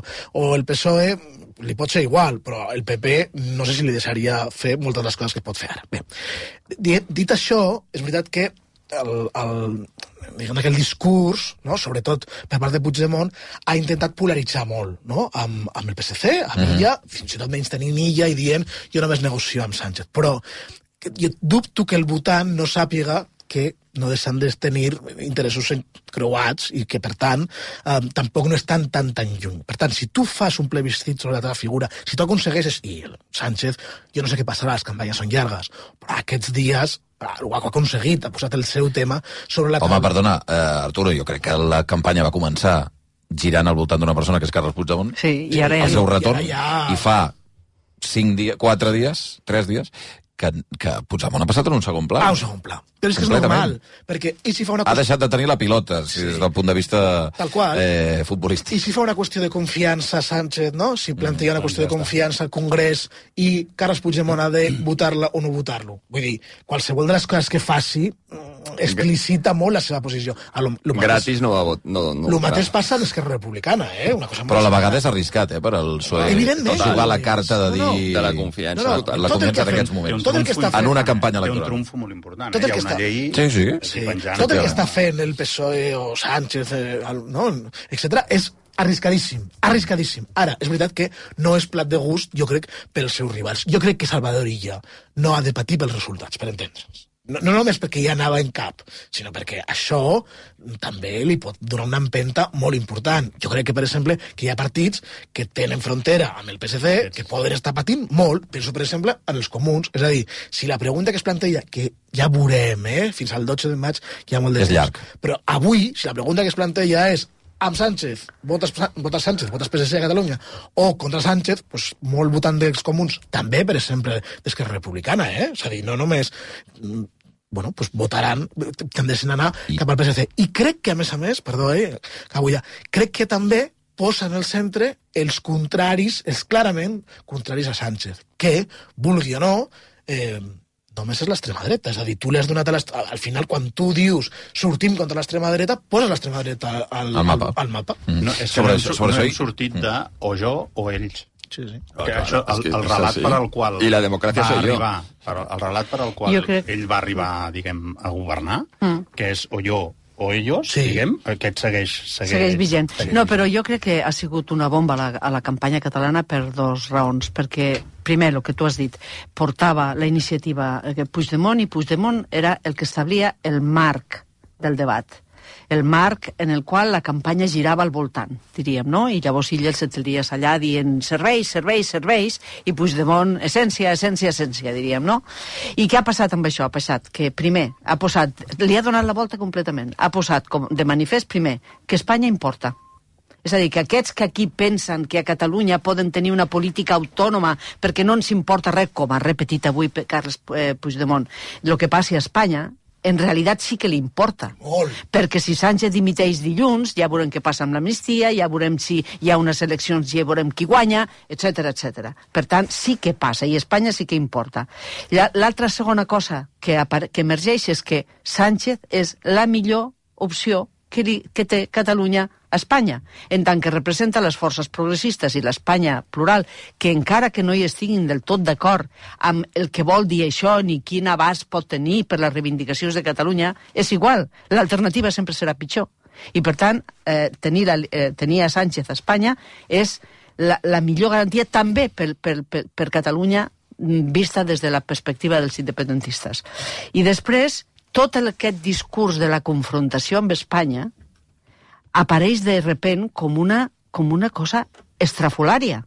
el PSOE, li pot ser igual, però el PP no sé si li deixaria fer moltes de les coses que pot fer ara. Bé, dit això, és veritat que aquell discurs, no, sobretot per part de Puigdemont, ha intentat polaritzar molt, no, amb el PSC, amb Illa, fins i tot menys tenint Illa i dient jo només negocio amb Sánchez. Però jo dubto que el votant no sàpiga que no deixen de tenir interessos creuats i que, per tant, tampoc no estan tan lluny. Per tant, si tu fas un plebiscit sobre la teva figura, si tu aconsegueixes, i Sánchez, jo no sé què passarà, les campanyes són llargues, però aquests dies ho ha aconseguit, ha posat el seu tema sobre la taula. Home, perdona, Arturo, jo crec que la campanya va començar girant al voltant d'una persona que és Carles Puigdemont, i ara el seu retorn, i fa 4 dies, 3 dies, que Puigdemont ha passat en un segon pla. Un segon pla. Però és que és normal, perquè i si fa una ha deixat de tenir la pilota, des del punt de vista futbolístic. I si fa una qüestió de confiança Sánchez, no? Si planteja una qüestió de confiança al Congrés i Carles Puigdemont ha de votar-la o no votar-lo. Vull dir, qualsevol de les coses que faci explicita molt la seva posició. Gratis no va votar. El mateix passa a l'Esquerra Republicana, una cosa però a la vegada és arriscat, per al PSOE. Evidentment. Jugar la carta de dir... De la confiança. La confiança en aquests moments. En una campanya electoral. Té un trumfo molt important. Hi ha una llei... Tot el que està fent el PSOE o Sánchez, etc., és arriscadíssim. Ara, és veritat que no és plat de gust, jo crec, pels seus rivals. Jo crec que Salvador Illa no ha de patir pels resultats, per entendre'ns. No només perquè ja anava en cap, sinó perquè això també li pot donar una empenta molt important. Jo crec que, per exemple, que hi ha partits que tenen frontera amb el PSC que poden estar patint molt. Penso, per exemple, en els comuns. És a dir, si la pregunta que es planteja, que ja veurem, fins al 12 de maig hi ha molt de temps. És llarg. Però avui, si la pregunta que es planteja és amb Sánchez, votes Sánchez, votes PSC a Catalunya, o contra Sánchez, doncs molt votant dels comuns, també, per exemple, d'Esquerra Republicana, És a dir, no només... doncs votaran, tendeixen a anar cap al PSC. I crec que, a més, crec que també posa en el centre els contraris, els clarament contraris a Sánchez, que, vulgui o no, només és l'extrema dreta. És a dir, tu li has donat al final, quan tu dius sortim contra l'extrema dreta, poses l'extrema dreta al mapa. No, és que no hem sortit de o jo o ells. Sí. El relat per al qual i la democràcia va soy arribar, el relat per al qual ell va arribar, diguem, a governar, que és o jo o ells, diguem, aquest segueix vigent. No, però jo crec que ha sigut una bomba a la campanya catalana per 2 raons. Perquè, primer, el que tu has dit, portava la iniciativa Puigdemont, i Puigdemont era el que establia el marc del debat. El marc en el qual la campanya girava al voltant, diríem, no? I llavors ell se'ls dies allà dient serveis, i Puigdemont essència, diríem, no? I què ha passat amb això? Ha passat que, primer, li ha donat la volta completament. Ha posat de manifest, primer, que Espanya importa. És a dir, que aquests que aquí pensen que a Catalunya poden tenir una política autònoma perquè no ens importa res, com ha repetit avui Carles Puigdemont, el que passi a Espanya, en realitat sí que li importa. Perquè si Sánchez dimiteix dilluns, ja veurem què passa amb l'amnistia, ja veurem si hi ha unes eleccions, ja veurem qui guanya, etc. Per tant, sí que passa, i Espanya sí que importa. L'altra segona cosa que emergeix és que Sánchez és la millor opció que té Catalunya a Espanya, en tant que representa les forces progressistes i l'Espanya plural, que encara que no hi estiguin del tot d'acord amb el que vol dir això ni quin abast pot tenir per les reivindicacions de Catalunya, és igual, l'alternativa sempre serà pitjor. I, per tant, tenir a Sánchez a Espanya és la millor garantia també per Catalunya vista des de la perspectiva dels independentistes. I després, tot aquest discurs de la confrontació amb Espanya apareix de sobte com una cosa estrafolària.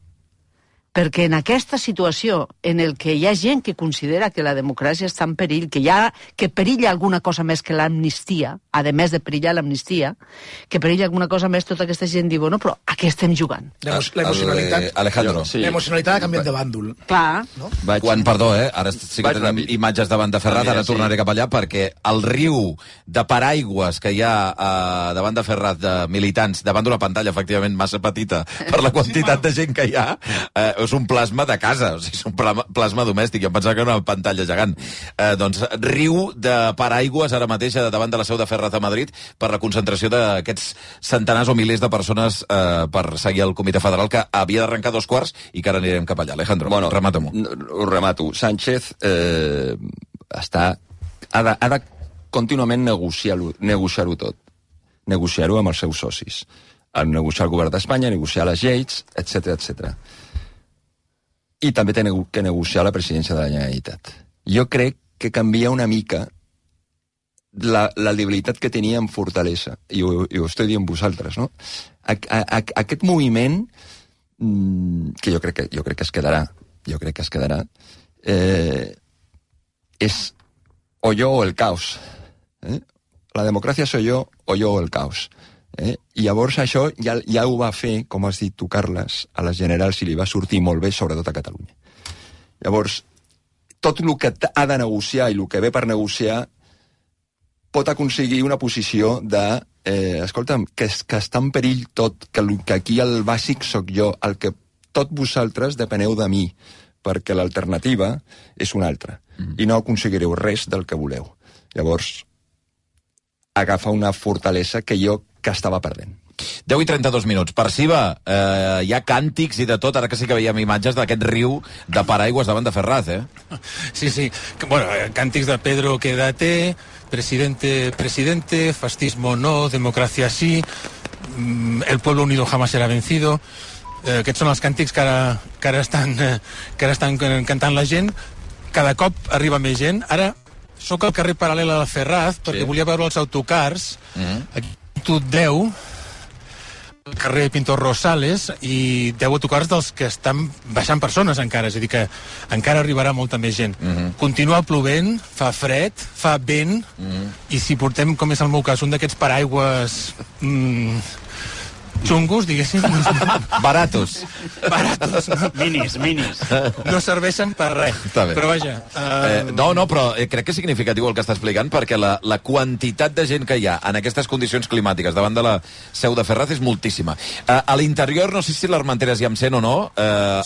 Perquè en aquesta situació en el que hi ha gent que considera que la democràcia està en perill, que perilla alguna cosa més que l'amnistia, a més de perillar l'amnistia, que perilla alguna cosa més, tota aquesta gent diu, no, però a què estem jugant? Alejandro. L'emocionalitat ha canviat de bàndol. Clar. No? Perdó, ara sí que tenim imatges davant de Ferraz, ara tornaré cap allà, perquè el riu de paraigües que hi ha davant de Ferraz, de militants, davant d'una pantalla, efectivament, massa petita per la quantitat de gent que hi ha, és un plasma de casa, o sigui, és un plasma domèstic. Jo em pensava que era una pantalla gegant. Doncs riu de paraigües ara mateix davant de la seu de Ferraz a Madrid per la concentració d'aquests centenars o milers de persones per seguir el Comitè Federal, que havia d'arrencar 2:15 i que ara anirem cap allà. Alejandro, remata-m'ho. Ho remato. Sánchez ha de contínuament negociar-ho tot. Negociar-ho amb els seus socis. Negociar el govern d'Espanya, negociar les lleis, etc. I també té que negociar la presidència de la Generalitat. Jo crec que canvia una mica la debilitat que tenia en fortalesa, i ho estic dient vosaltres, no? Aquest moviment, que jo crec que es quedarà, és o jo o el caos. La democràcia soy yo o el caos. I llavors això ja ho va fer, com has dit tu, Carles, a les generals, i li va sortir molt bé, sobretot a Catalunya. Llavors, tot el que ha de negociar i el que ve per negociar pot aconseguir una posició de escolta'm, que està en perill tot, que aquí el bàsic sóc jo, el que tot vosaltres depeneu de mi, perquè l'alternativa és una altra, i no aconseguireu res del que voleu. Llavors, agafa una fortalesa que estava perdent. 10 i 32 minuts. Per Siva, hi ha càntics i de tot, ara que sí que veiem imatges d'aquest riu de paraigües davant de Ferraz, Sí. Bueno, càntics de Pedro, quédate, presidente, fascismo no, democracia sí, el pueblo unido jamás será vencido. Aquests són els càntics que ara estan cantant la gent. Cada cop arriba més gent. Ara soc al carrer paral·lel a la Ferraz, perquè volia veure els autocars. Aquí tot 10, al carrer Pintor Rosales, i 10 autocars dels que estan baixant persones encara, és a dir que encara arribarà molta més gent. Continua plovent, fa fred, fa vent, i si portem, com és el meu cas, un d'aquests paraigües xungos, diguéssim. Baratos. No? Minis. No serveixen per res. Però vaja... però crec que és significatiu el que està explicant, perquè la quantitat de gent que hi ha en aquestes condicions climàtiques davant de la seu de Ferraz és moltíssima. A l'interior, no sé si l'Armenteres hi em sent o no,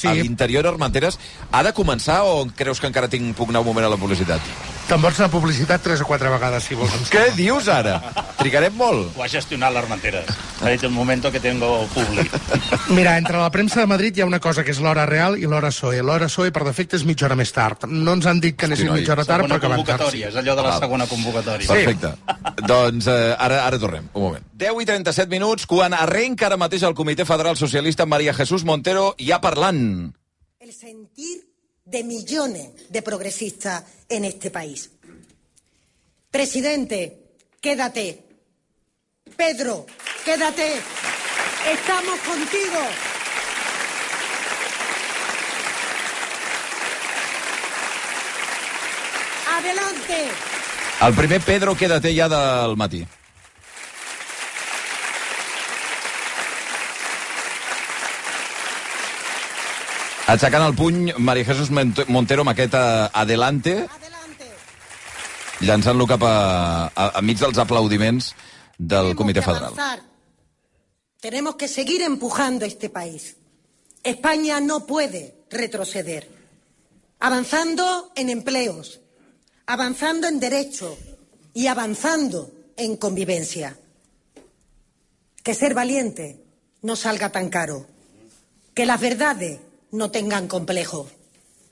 sí. A l'interior Armenteres ha de començar o creus que encara puc anar un moment a la publicitat? Te'n vols anar a publicitat 3 o 4 vegades, si vols. Què dius ara? Trigarem molt? Ho ha gestionat l'Armenteres. Ha dit un moment que tengo públic. Mira, entre la premsa de Madrid hi ha una cosa que és l'hora real i l'hora PSOE. L'hora PSOE, per defecte, és mitja hora més tard. No ens han dit que anessin mitja hora tard, però que van tard. És allò de la segona convocatòria. Perfecte. Doncs ara tornem, un moment. 10 i 37 minuts, quan arrenca ara mateix el Comitè Federal Socialista, María Jesús Montero ja parlant. El sentir de millones de progresistas en este país. Presidente, quédate. Pedro, quédate. Estamos contigo. Adelante. El primer Pedro, quédate ja del matí. Aixecant el puny, María Jesús Montero amb aquest adelante, llançant-lo cap a mig dels aplaudiments del Comitè Federal. Tenemos que seguir empujando este país. España no puede retroceder. Avanzando en empleos, avanzando en derechos y avanzando en convivencia. Que ser valiente no salga tan caro. Que las verdades no tengan complejo.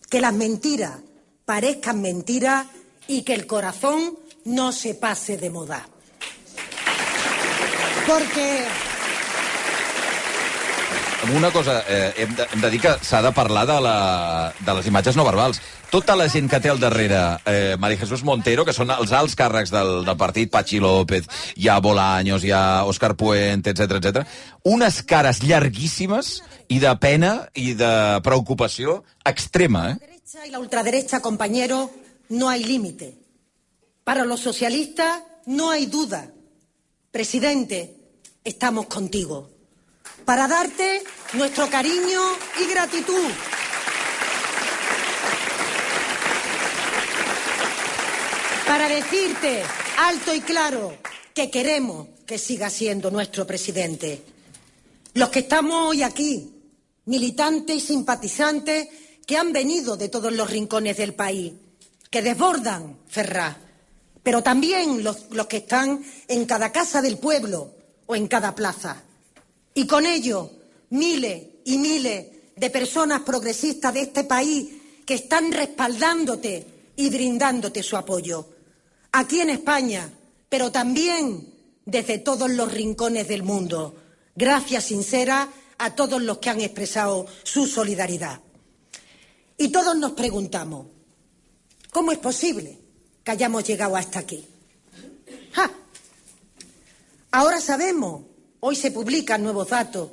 Que las mentiras parezcan mentiras y que el corazón no se pase de moda. Perquè... Una cosa, hem de dir que s'ha de parlar de les imatges no verbals. Tota la gent que té al darrere María Jesús Montero, que són els alts càrrecs del partit, Patxi López, hi ha Bolaños, hi ha Òscar Puente, etc. Unes cares llarguíssimes i de pena i de preocupació extrema, La derecha y la ultraderecha, compañero, no hay límite. Para los socialistas no hay duda. Presidente, estamos contigo. Para darte nuestro cariño y gratitud. Para decirte alto y claro que queremos que siga siendo nuestro presidente. Los que estamos hoy aquí, militantes y simpatizantes que han venido de todos los rincones del país, que desbordan Ferraz, pero también los que están en cada casa del pueblo o en cada plaza. Y con ello, miles y miles de personas progresistas de este país que están respaldándote y brindándote su apoyo. Aquí en España, pero también desde todos los rincones del mundo. Gracias sinceras a todos los que han expresado su solidaridad. Y todos nos preguntamos, ¿cómo es posible que hayamos llegado hasta aquí? ¡Ja! Ahora sabemos, hoy se publican nuevos datos,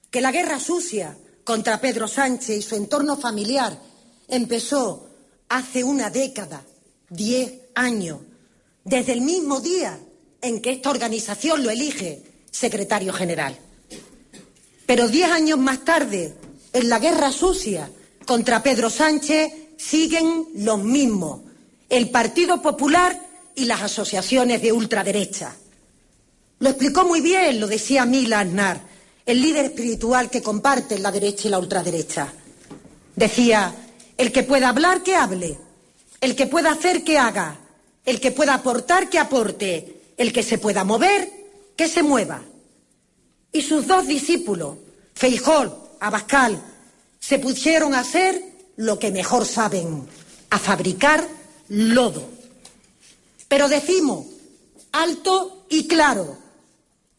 que la guerra sucia contra Pedro Sánchez y su entorno familiar empezó hace una década, 10 años, desde el mismo día en que esta organización lo elige secretario general. Pero 10 años más tarde, en la guerra sucia contra Pedro Sánchez, siguen los mismos, el Partido Popular y las asociaciones de ultraderecha. Lo explicó muy bien, lo decía Mila Aznar, el líder espiritual que comparten la derecha y la ultraderecha. Decía, el que pueda hablar, que hable, el que pueda hacer, que haga, el que pueda aportar, que aporte, el que se pueda mover, que se mueva. Y sus dos discípulos, Feijóo, Abascal, se pusieron a hacer lo que mejor saben, a fabricar lodo. Pero decimos, alto y claro,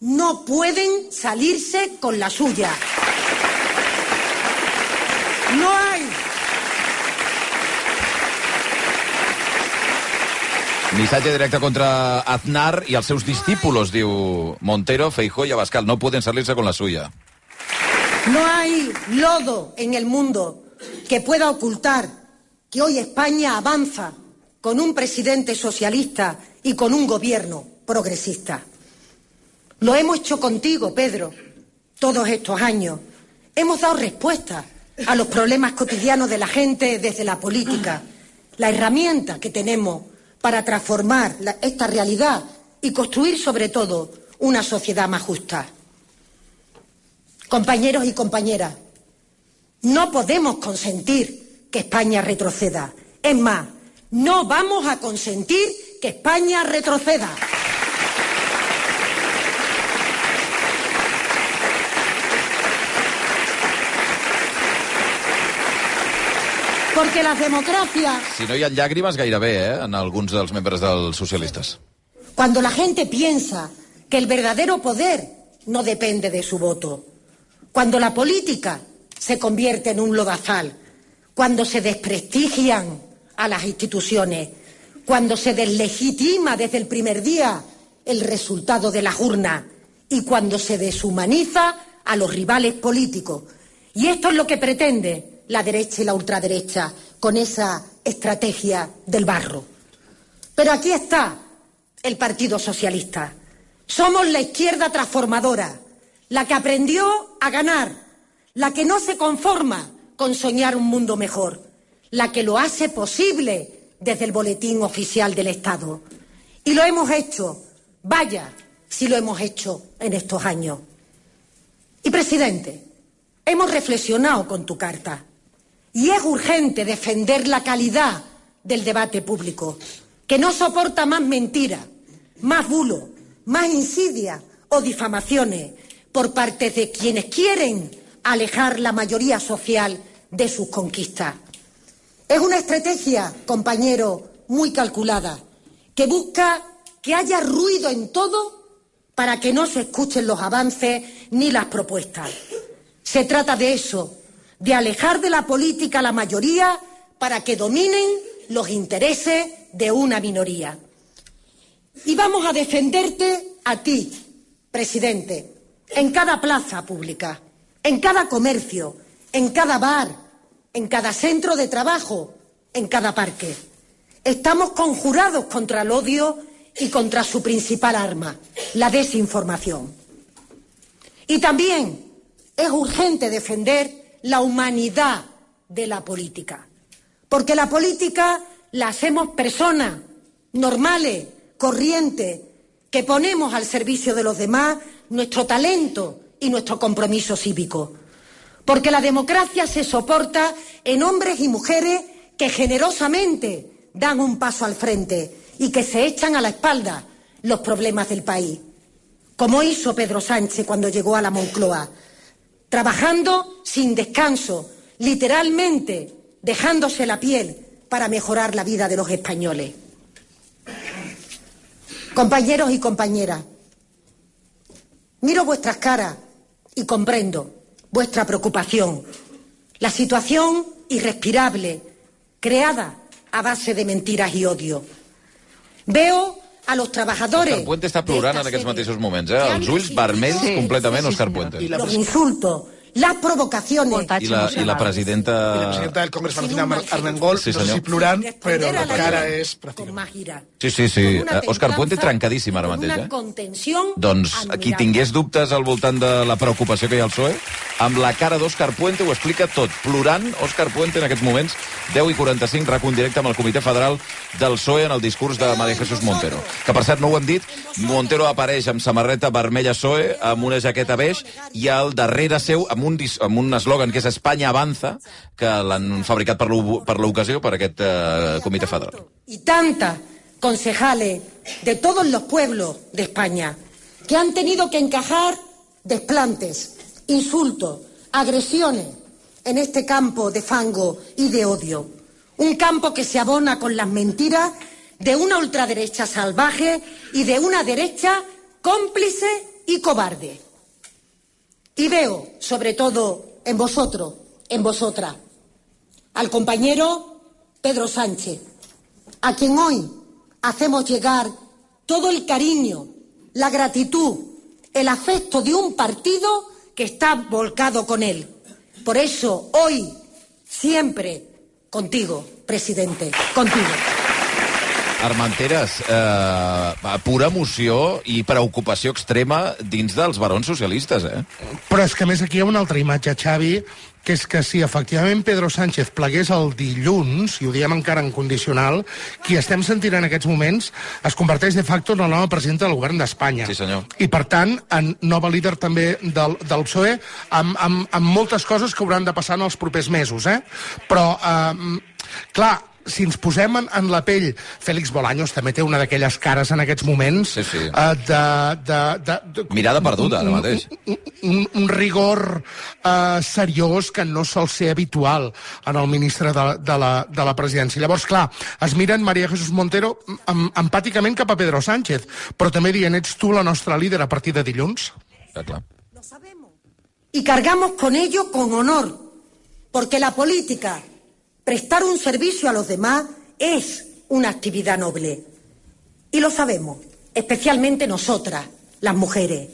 no pueden salirse con la suya. No hay. Missatge directe contra Aznar i els seus discípulos, diu Montero, Feijóo y Abascal. No pueden salirse con la suya. No hay lodo en el mundo que pueda ocultar que hoy España avanza con un presidente socialista y con un gobierno progresista. Lo hemos hecho contigo, Pedro, todos estos años. Hemos dado respuesta a los problemas cotidianos de la gente desde la política, la herramienta que tenemos para transformar esta realidad y construir, sobre todo, una sociedad más justa. Compañeros y compañeras, no podemos consentir que España retroceda. Es más, no vamos a consentir que España retroceda. Porque las democracias... Si no hi ha llàgrimes, gairebé, en alguns dels membres dels socialistes. Cuando la gente piensa que el verdadero poder no depende de su voto, cuando la política se convierte en un lodazal, cuando se desprestigian a las instituciones, cuando se deslegitima desde el primer día el resultado de las urnas y cuando se deshumaniza a los rivales políticos. Y esto es lo que pretende la derecha y la ultraderecha con esa estrategia del barro. Pero aquí está el Partido Socialista. Somos la izquierda transformadora, la que aprendió a ganar, la que no se conforma con soñar un mundo mejor, la que lo hace posible desde el Boletín Oficial del Estado. Y lo hemos hecho, vaya si lo hemos hecho en estos años. Y, presidente, hemos reflexionado con tu carta y es urgente defender la calidad del debate público, que no soporta más mentira, más bulo, más insidia o difamaciones por parte de quienes quieren alejar la mayoría social de sus conquistas. Es una estrategia, compañero, muy calculada, que busca que haya ruido en todo para que no se escuchen los avances ni las propuestas. Se trata de eso, de alejar de la política a la mayoría para que dominen los intereses de una minoría. Y vamos a defenderte a ti, presidente, en cada plaza pública, en cada comercio, en cada bar, en cada centro de trabajo, en cada parque. Estamos conjurados contra el odio y contra su principal arma, la desinformación. Y también es urgente defender la humanidad de la política, porque la política la hacemos personas normales, corrientes, que ponemos al servicio de los demás nuestro talento y nuestro compromiso cívico. Porque la democracia se soporta en hombres y mujeres que generosamente dan un paso al frente y que se echan a la espalda los problemas del país, como hizo Pedro Sánchez cuando llegó a la Moncloa, trabajando sin descanso, literalmente dejándose la piel para mejorar la vida de los españoles. Compañeros y compañeras, miro vuestras caras y comprendo vuestra preocupación. La situación irrespirable, creada a base de mentiras i odio. Veo a los trabajadores... Òscar Puente està plorant en aquests mateixos moments, eh? Els ulls vermells completament, Òscar Puente. Los insultos, las provocaciones... I la presidenta... I la presidenta del Congrés, Valentina Armengol, sí, no sé si plorant, però la cara és... Sí. Òscar Puente trencadíssim ara mateix, eh? Doncs qui tingués dubtes al voltant de la preocupació que hi ha al PSOE, amb la cara d'Òscar Puente ho explica tot. Plorant, Òscar Puente en aquests moments, 10:45, RAC1 directe amb el Comitè Federal del PSOE en el discurs de María Jesús Montero. Que, per cert, no ho hem dit, Montero apareix amb samarreta vermella PSOE, amb una jaqueta beix, i al darrere seu, amb un eslògan que és Espanya avanza, que l'han fabricat per l'ocasió, per aquest Comitè Federal. Y tantas concejales de todos los pueblos de España que han tenido que encajar desplantes, insultos, agresiones en este campo de fango y de odio. Un campo que se abona con las mentiras de una ultraderecha salvaje y de una derecha cómplice y cobarde. Y veo, sobre todo en vosotros, en vosotras, al compañero Pedro Sánchez, a quien hoy hacemos llegar todo el cariño, la gratitud, el afecto de un partido que está volcado con él. Por eso, hoy, siempre, contigo, presidente, contigo. Armenteres, pura emoció i preocupació extrema dins dels barons socialistes, eh? Però és que, a més, aquí hi ha una altra imatge, Xavi, que és que si efectivament Pedro Sánchez plegués el dilluns, i ho diem encara en condicional, qui estem sentint en aquests moments es converteix de facto en la nova presidenta del govern d'Espanya. Sí, senyor. I, per tant, en nova líder també del PSOE, amb moltes coses que hauran de passar en els propers mesos, eh? Però, clar, si ens posem en la pell, Félix Bolaños també té una d'aquelles cares en aquests moments mirada perduda ara mateix, un rigor seriós que no sol ser habitual en el ministre de la presidència. Llavors, clar, es miren María Jesús Montero empàticament cap a Pedro Sánchez, però també dient, ets tu la nostra líder a partir de dilluns? Clar. Y cargamos con ello con honor, porque la política, prestar un servicio a los demás, es una actividad noble. Y lo sabemos, especialmente nosotras, las mujeres.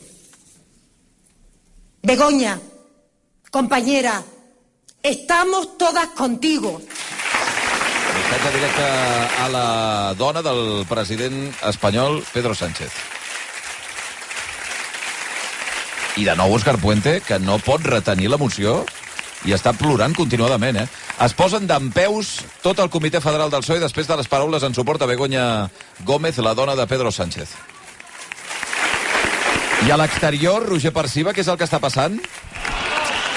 Begoña, compañera, estamos todas contigo. Missatge directe a la dona del president espanyol, Pedro Sánchez. I de nou Òscar Puente, que no pot retenir l'emoció i està plorant continuadament, eh? Es posen dempeus tot el Comitè Federal del PSOE després de les paraules en suport a Begoña Gómez, la dona de Pedro Sánchez. I a l'exterior, Roger Perciba, què és el que està passant?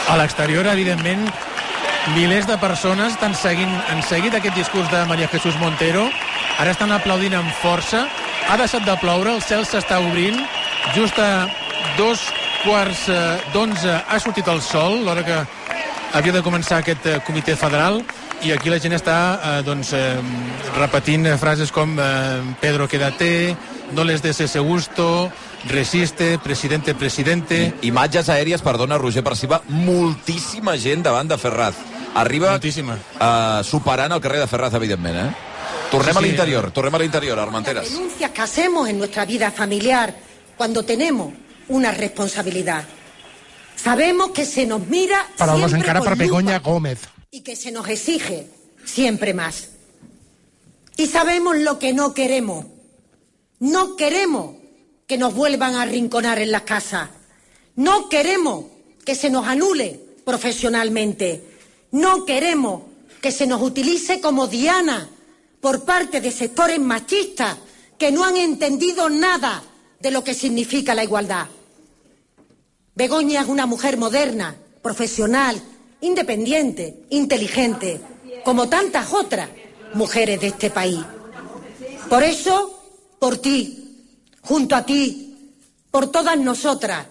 A l'exterior, evidentment, milers de persones han seguit aquest discurs de María Jesús Montero. Ara estan aplaudint amb força. Ha deixat de ploure, el cel s'està obrint. Just 2:15 ha sortit el sol, l'hora que havia de començar aquest comitè federal, i aquí la gent està repetint frases com Pedro, quédate, no les des ese gusto, resiste, presidente, presidente... Imatges aèries, perdona, Roger Perciba, moltíssima gent davant de Ferraz. Arriba superant el carrer de Ferraz, evidentment, Tornem a l'interior, Armenteras. Las denuncias que hacemos en nuestra vida familiar cuando tenemos una responsabilidad. Sabemos que se nos mira Paraules siempre encara per con Begoña lupa Gómez. y que se nos exige siempre más. Y sabemos lo que no queremos. No queremos que nos vuelvan a arrinconar en las casas. No queremos que se nos anule profesionalmente. No queremos que se nos utilice como diana por parte de sectores machistas que no han entendido nada de lo que significa la igualdad. Begoña es una mujer moderna, profesional, independiente, inteligente, como tantas otras mujeres de este país. Por eso, por ti, junto a ti, por todas nosotras,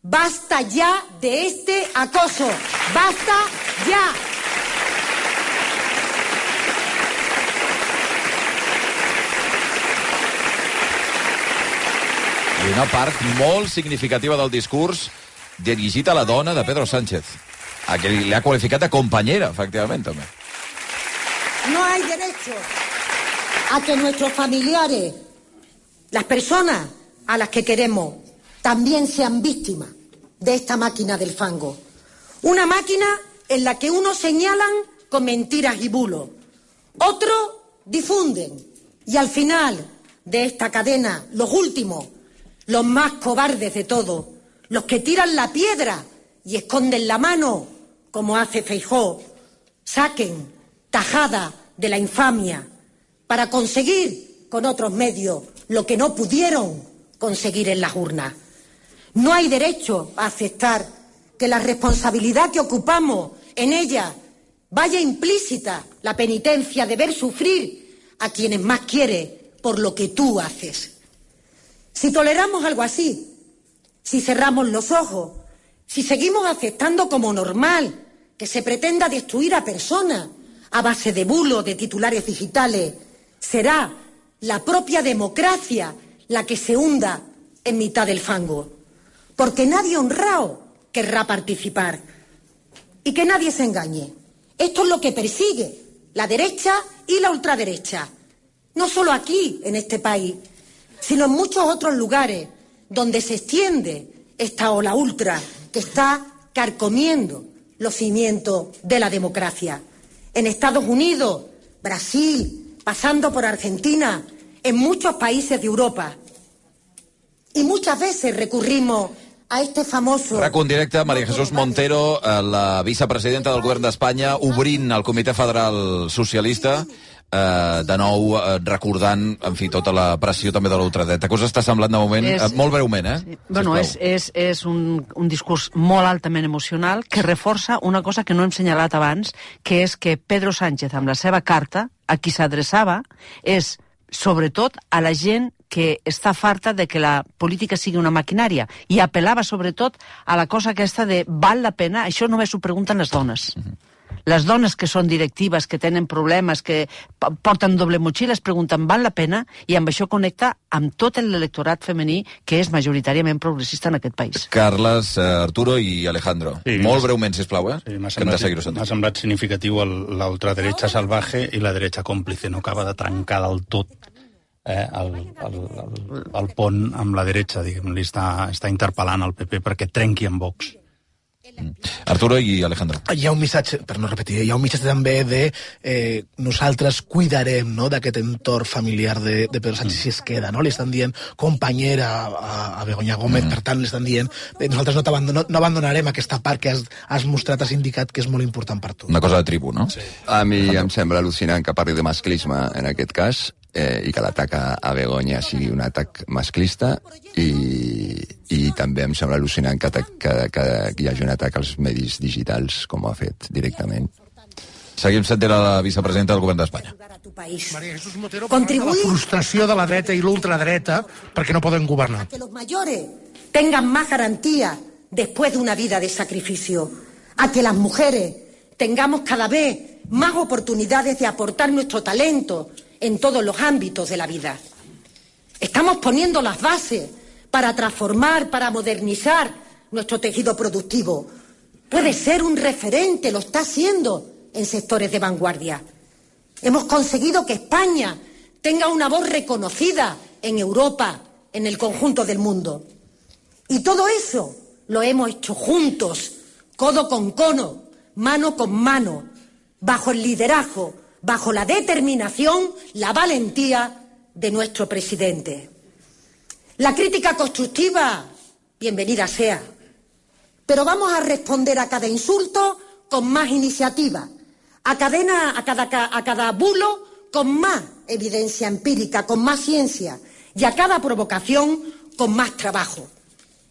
basta ya de este acoso. ¡Basta ya! I una part molt significativa del discurs dirigit a la dona de Pedro Sánchez, a qui li ha qualificat de companyera, efectivament, també. No hay derecho a que nuestros familiares, las personas a las que queremos, también sean víctimas de esta máquina del fango. Una máquina en la que unos señalan con mentiras y bulos, otros difunden, y al final de esta cadena, los últimos, los más cobardes de todos, los que tiran la piedra y esconden la mano, como hace Feijóo, saquen tajada de la infamia para conseguir con otros medios lo que no pudieron conseguir en las urnas. No hay derecho a aceptar que la responsabilidad que ocupamos en ella vaya implícita la penitencia de ver sufrir a quienes más quiere por lo que tú haces. Si toleramos algo así, si cerramos los ojos, si seguimos aceptando como normal que se pretenda destruir a personas a base de bulos, de titulares digitales, será la propia democracia la que se hunda en mitad del fango. Porque nadie honrado querrá participar. Y que nadie se engañe. Esto es lo que persigue la derecha y la ultraderecha. No solo aquí, en este país, sino en muchos otros lugares donde se extiende esta ola ultra que está carcomiendo los cimientos de la democracia. En Estados Unidos, Brasil, pasando por Argentina, en muchos países de Europa. Y muchas veces recurrimos a este famoso... RAC1 directe, María Jesús Montero, la vicepresidenta del govern d'Espanya, obrint el Comitè Federal Socialista, de nou recordant, en fi, tota la pressió també de l'ultradreta. Què us està semblant de moment? Molt breument, Sí. Bueno, és un discurs molt altament emocional que reforça una cosa que no hem senyalat abans, que és que Pedro Sánchez, amb la seva carta, a qui s'adreçava, és, sobretot, a la gent que està farta de que la política sigui una maquinària, i apel·lava sobretot a la cosa aquesta de val la pena, això només ho pregunten les dones. Les dones que són directives, que tenen problemes, que porten doble motxilla, es pregunten val la pena, i amb això connecta amb tot l'electorat femení que és majoritàriament progressista en aquest país. Carles, Arturo i Alejandro. Sí, molt breument, sisplau, Sí, m'ha semblat significatiu la ultraderecha salvaje i la derecha còmplice. No acaba de trencar del tot el pont amb la derecha, diguem, li està interpel·lant al PP perquè trenqui amb Vox. Arturo i Alejandro. Hi ha un missatge, per no repetir, hi ha un missatge també de nosaltres cuidarem, no?, d'aquest entorn familiar de Pedro Sánchez si es queda, no? Li estan dient companyera a Begoña Gómez, per tant, li estan dient nosaltres no abandonarem aquesta part que has mostrat, has indicat que és molt important per tu. Una cosa de tribu, no? Sí. A mi em sembla al·lucinant que parli de masclisme en aquest cas, i que l'atac a Begoña sigui un atac masclista, i també em sembla al·lucinant que hi hagi un atac als medis digitals, com ho ha fet directament. Seguim sent la vicepresidenta del govern d'Espanya. María Jesús Montero parla de la frustració de la dreta i l'ultradreta perquè no poden governar. Que los mayores tengan más garantías después de una vida de sacrificio, a que las mujeres tengamos cada vez más oportunidades de aportar nuestro talento en todos los ámbitos de la vida. Estamos poniendo las bases para transformar, para modernizar nuestro tejido productivo. Puede ser un referente, lo está siendo en sectores de vanguardia. Hemos conseguido que España tenga una voz reconocida en Europa, en el conjunto del mundo. Y todo eso lo hemos hecho juntos, codo con codo, mano con mano, bajo el liderazgo, bajo la determinación, la valentía de nuestro presidente. La crítica constructiva, bienvenida sea, pero vamos a responder a cada insulto con más iniciativa, a cada bulo con más evidencia empírica, con más ciencia, y a cada provocación con más trabajo.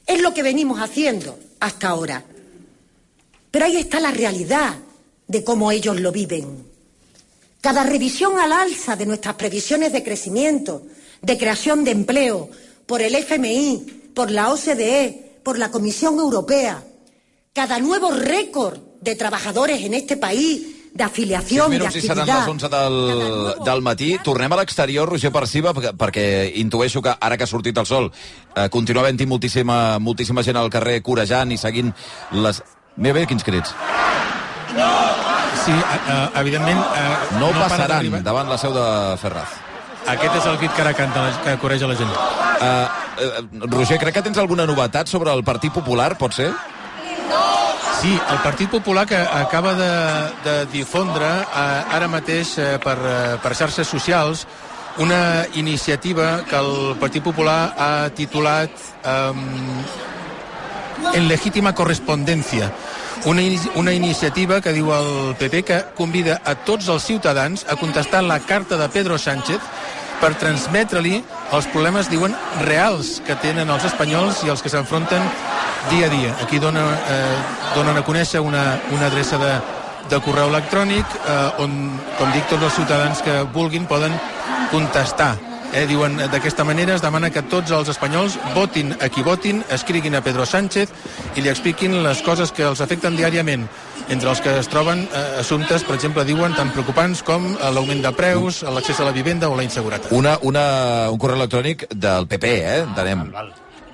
Es lo que venimos haciendo hasta ahora. Pero ahí está la realidad de cómo ellos lo viven. Cada revisión al alza de nuestras previsiones de crecimiento, de creación de empleo, por el FMI, por la OCDE, por la Comisión Europea, cada nuevo récord de trabajadores en este país, de afiliació, d'activitat... 6 minuts i seran les 11 del matí. Tornem a l'exterior, Roger Perciba, perquè intueixo que ara que ha sortit el sol continua havent-hi moltíssima gent al carrer corejant i seguint les... Mira bé, quins crits. Sí, evidentment... No passaran davant la seu de Ferraz. Aquest és el crit que ara canta, que coreja la gent. Roger, crec que tens alguna novetat sobre el Partit Popular, pot ser? Sí, el Partit Popular que acaba de difondre ara mateix per xarxes socials una iniciativa que el Partit Popular ha titulat En legítima correspondencia. Una iniciativa que diu el PP que convida a tots els ciutadans a contestar la carta de Pedro Sánchez per transmetre-li els problemes, diuen, reals que tenen els espanyols i els que s'enfronten dia a dia. Aquí donen a conèixer una adreça de correu electrònic on, com dic, tots els ciutadans que vulguin poden contestar. Diuen, d'aquesta manera es demana que tots els espanyols votin a qui votin, escriguin a Pedro Sánchez i li expliquin les coses que els afecten diàriament, entre els que es troben assumptes, per exemple, diuen, tan preocupants com l'augment de preus, l'accés a la vivenda o la inseguretat. Un correu electrònic del PP, entenem.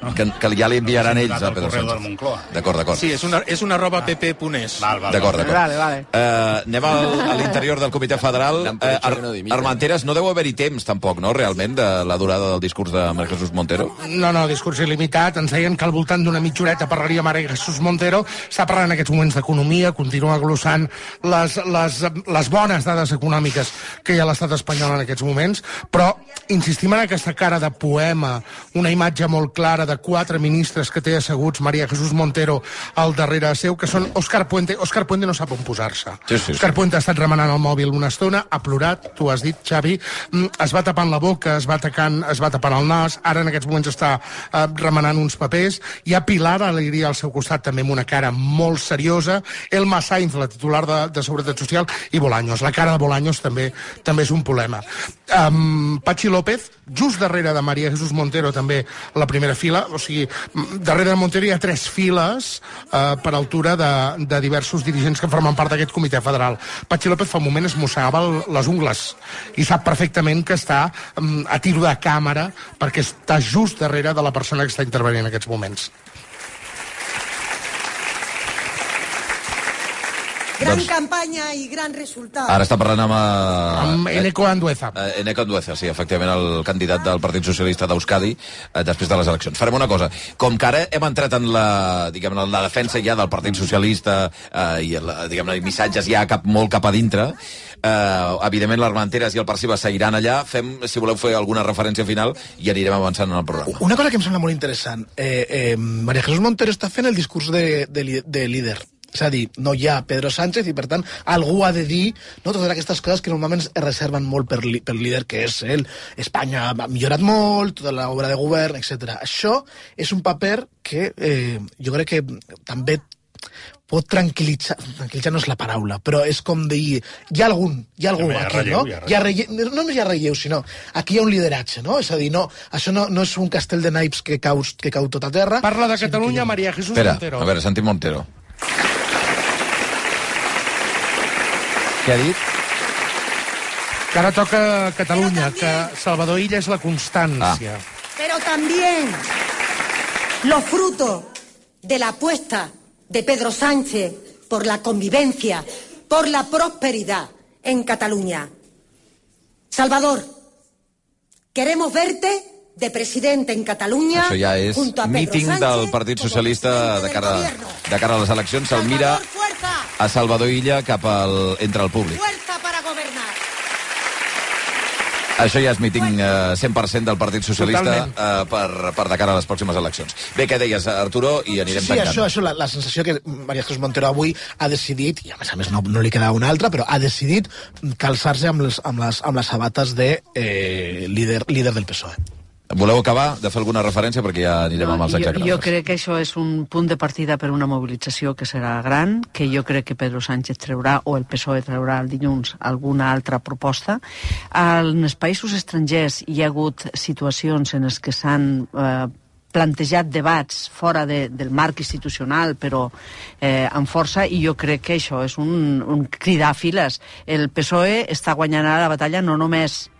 Que ja li enviaran ells a Pedro Sánchez. D'acord. Sí, és una pp.es. D'acord. Anem a l'interior del Comitè Federal. Armenteres, no deu haver-hi temps, tampoc, no?, realment, de la durada del discurs de María Jesús Montero. No, discurs il·limitat. Ens deien que al voltant d'una mitja horeta parlaria María Jesús Montero. Està parlant en aquests moments d'economia, continua glossant les bones dades econòmiques que hi ha a l'estat espanyol en aquests moments, però insistim en aquesta cara de poema, una imatge molt clara de 4 ministres que té asseguts María Jesús Montero al darrere seu, que són Òscar Puente. Òscar Puente no sap on posar-se. Òscar Puente ha estat remenant el mòbil una estona, ha plorat, tu has dit, Xavi, es va tapant la boca, es va tapant el nas, ara en aquests moments està remenant uns papers. Hi ha Pilar Alegría al seu costat, també amb una cara molt seriosa, Elma Sainz, la titular de Seguretat Social, i Bolaños. La cara de Bolaños també és un problema. Patxi López, just darrere de María Jesús Montero, també a la primera fila, o sigui, darrere de Montero hi ha 3 files per altura de diversos dirigents que formen part d'aquest comitè federal. Patxi López fa un moment es mossegava les ungles i sap perfectament que està a tiro de càmera perquè està just darrere de la persona que està intervenint en aquests moments. Gran campanya i gran resultat. Ara està parlant amb Eneko Andueza. Eneko Andueza, sí, efectivament, el candidat del Partit Socialista d'Euskadi després de les eleccions. Farem una cosa. Com que ara hem entrat en la defensa ja del Partit Socialista i, diguem-ne, missatges ja molt cap a dintre, evidentment l'Armenteres i el Perciba seguiran allà. Fem, si voleu fer alguna referència final, i anirem avançant en el programa. Una cosa que em sembla molt interessant. María Jesús Montero està fent el discurs de líder. És a dir, no hi ha Pedro Sánchez i, per tant, algú ha de dir totes aquestes coses que normalment es reserven molt per líder, que és ell. Espanya ha millorat molt, tota l'obra de govern, etc. Això és un paper que jo crec que també pot tranquil·litzar no és la paraula, però és com dir, hi ha algú aquí, no? No només hi ha relleu, sinó aquí hi ha un lideratge, no? És a dir, no, això no és un castell de naips que cau tot a terra. Parla de Catalunya María Jesús Montero. A veure, sentim Montero. Què ha dit? Que ara toca Catalunya, que Salvador Illa és la constància. Pero también los frutos de la apuesta de Pedro Sánchez por la convivencia, por la prosperidad en Cataluña. Salvador, queremos verte de presidente en Catalunya. Això ja és míting del Partit Socialista de cara a les eleccions. Se'l mira a Salvador Illa entre el públic. Fuerza para gobernar. Això ja és míting 100% del Partit Socialista per de cara a les pròximes eleccions. Bé, què deies, Arturo? I anirem tancant. Sí, això, la sensació que María Jesús Montero avui ha decidit, i a més no li quedava una altra, però ha decidit calçar-se amb les sabates de líder del PSOE. Voleu acabar de fer alguna referència perquè ja anirem amb els exagrams? Jo crec que això és un punt de partida per una mobilització que serà gran, que jo crec que Pedro Sánchez traurà, o el PSOE traurà el dilluns, alguna altra proposta. En els països estrangers hi ha hagut situacions en les que s'han plantejat debats fora del marc institucional, però amb força, i jo crec que això és un cridar a files. El PSOE està guanyant ara la batalla no només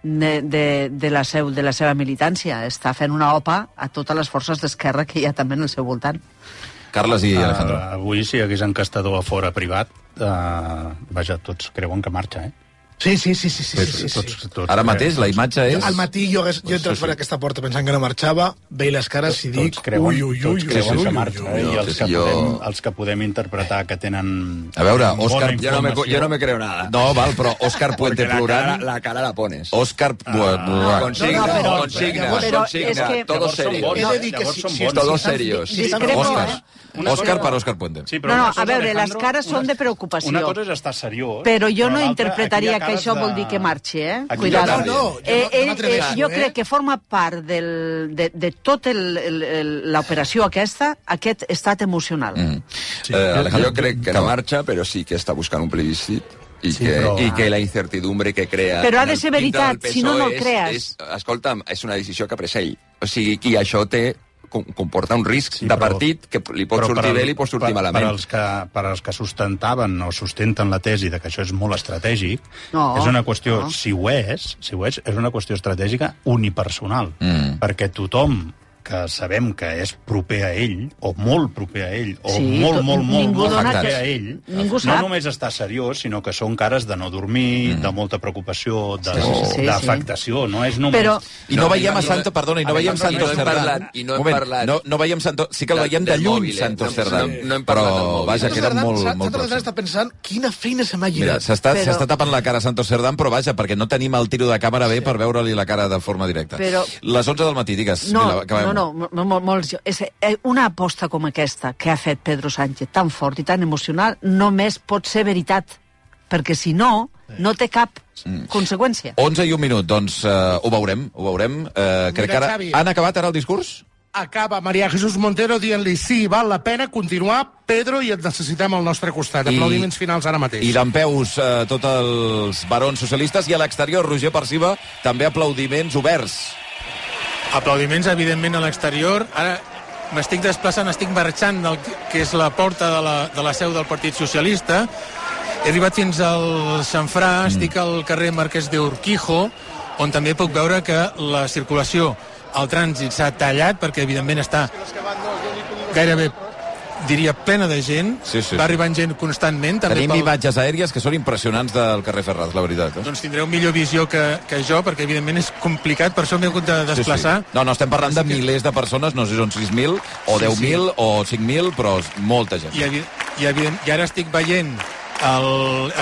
de la seva militància, està fent una OPA a totes les forces d'esquerra que hi ha també en el seu voltant. Carles i Alejandro. Avui, si hi hagués encastador a fora privat, vaja, tots creuen que marxa, Sí. Ara mateix la imatge és... Al matí jo he entrat per aquesta porta pensant que no marxava, veig les cares i dic... Tots creuen que marxa, i els que podem interpretar que tenen... A veure, Òscar... Jo no me creo nada. No, val, però Òscar Puente plorant... La cara la pones. Òscar... Consigna. Todos serios. Todos serios. Òscar per Òscar Puente. No, a veure, les cares són de preocupació. Una cosa és estar seriós... Però jo no interpretaria que això vol dir que marxi, Cuidado. Jo crec que forma part de tota l'operació aquesta, aquest estat emocional. Jo crec que no marxa, però sí que està buscant un plebiscit i que la incertidumbre que crea... Però ha de ser veritat, si no el crees. Escolta'm, és una decisió que ha pres ell. O sigui, i això comporta un risc de partit que li pot sortir bé i li pot sortir malament. Per als que sustentaven o sustenten la tesi de que això és molt estratègic, és una qüestió, si ho és una qüestió estratègica unipersonal, perquè tothom que sabem que és proper a ell, o molt proper a ell, o molt proper a ell, no només està seriós, sinó que són cares de no dormir, de molta preocupació, d'afectació, no és només... I no veiem a Santos, perdona, i no veiem Santos Cerdán. I no hem parlat... No veiem Santos... Sí que el veiem de lluny, Santos Cerdán. Però, vaja, queda molt... Santos Cerdán està pensant quina feina se m'ha Mira, lligat. s'està tapant la cara a Santos Cerdán, però vaja, perquè no tenim el tiro de càmera bé per veure-li la cara de forma directa. Les 11 del matí, digues. No, una aposta com aquesta que ha fet Pedro Sánchez, tan fort i tan emocional, només pot ser veritat, perquè si no, no té cap conseqüència. 11 i un minut, doncs ho veurem. Crec que ara... Han acabat ara el discurs? Acaba María Jesús Montero dient-li sí, val la pena continuar, Pedro, i et necessitem al nostre costat. Aplaudiments finals ara mateix. I dempeus tots els barons socialistes, i a l'exterior, Roger Perciba, també aplaudiments oberts. Aplaudiments, evidentment, a l'exterior. Ara m'estic desplaçant, estic marxant del que és la porta de la seu del Partit Socialista. He arribat fins al xamfrà, estic al carrer Marquès de Urquijo, on també puc veure que la circulació, el trànsit s'ha tallat, perquè evidentment està gairebé, diria, plena de gent. Va arribant gent constantment. Tenim imatges aèries que són impressionants del carrer Ferraz, la veritat. Doncs tindreu millor visió que jo, perquè evidentment és complicat, per això m'he hagut de desplaçar. No, estem parlant de milers de persones, no sé si són 6.000 o 10.000 o 5.000, però molta gent. I ara estic veient,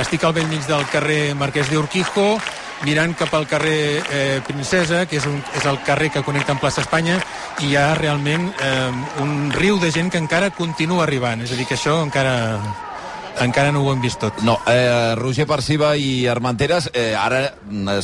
estic al bell mig del carrer Marquès de Urquijo, mirant cap al carrer Princesa, que és el carrer que connecta amb plaça Espanya, i hi ha realment un riu de gent que encara continua arribant. És a dir, que això encara encara no ho hem vist tot. No, Roger Parciba i Armenteres, ara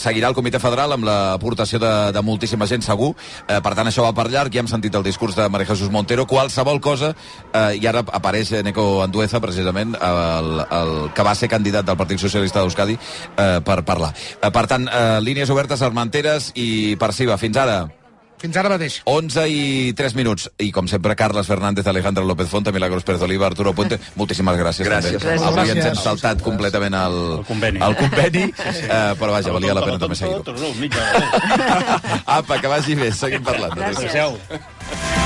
seguirà el Comitè Federal amb l'aportació de moltíssima gent, segur. Per tant, això va per llarg. Ja hem sentit el discurs de María Jesús Montero. Qualsevol cosa, i ara apareix Neco Andueza, precisament, el que va ser candidat del Partit Socialista d'Euskadi, per parlar. Per tant, línies obertes, Armenteres i Parciba. Fins ara. Fins ara mateix. 11 i 3 minuts. I com sempre, Carles Fernández, Alejandro López Fonte, Milagros Pérez Oliva, Arturo Puente, moltíssimes gràcies. Gràcies. Avui ens hem saltat completament el conveni, però vaja, valia la pena també seguir-ho. Apa, que vagi bé, seguim parlant. Gràcies.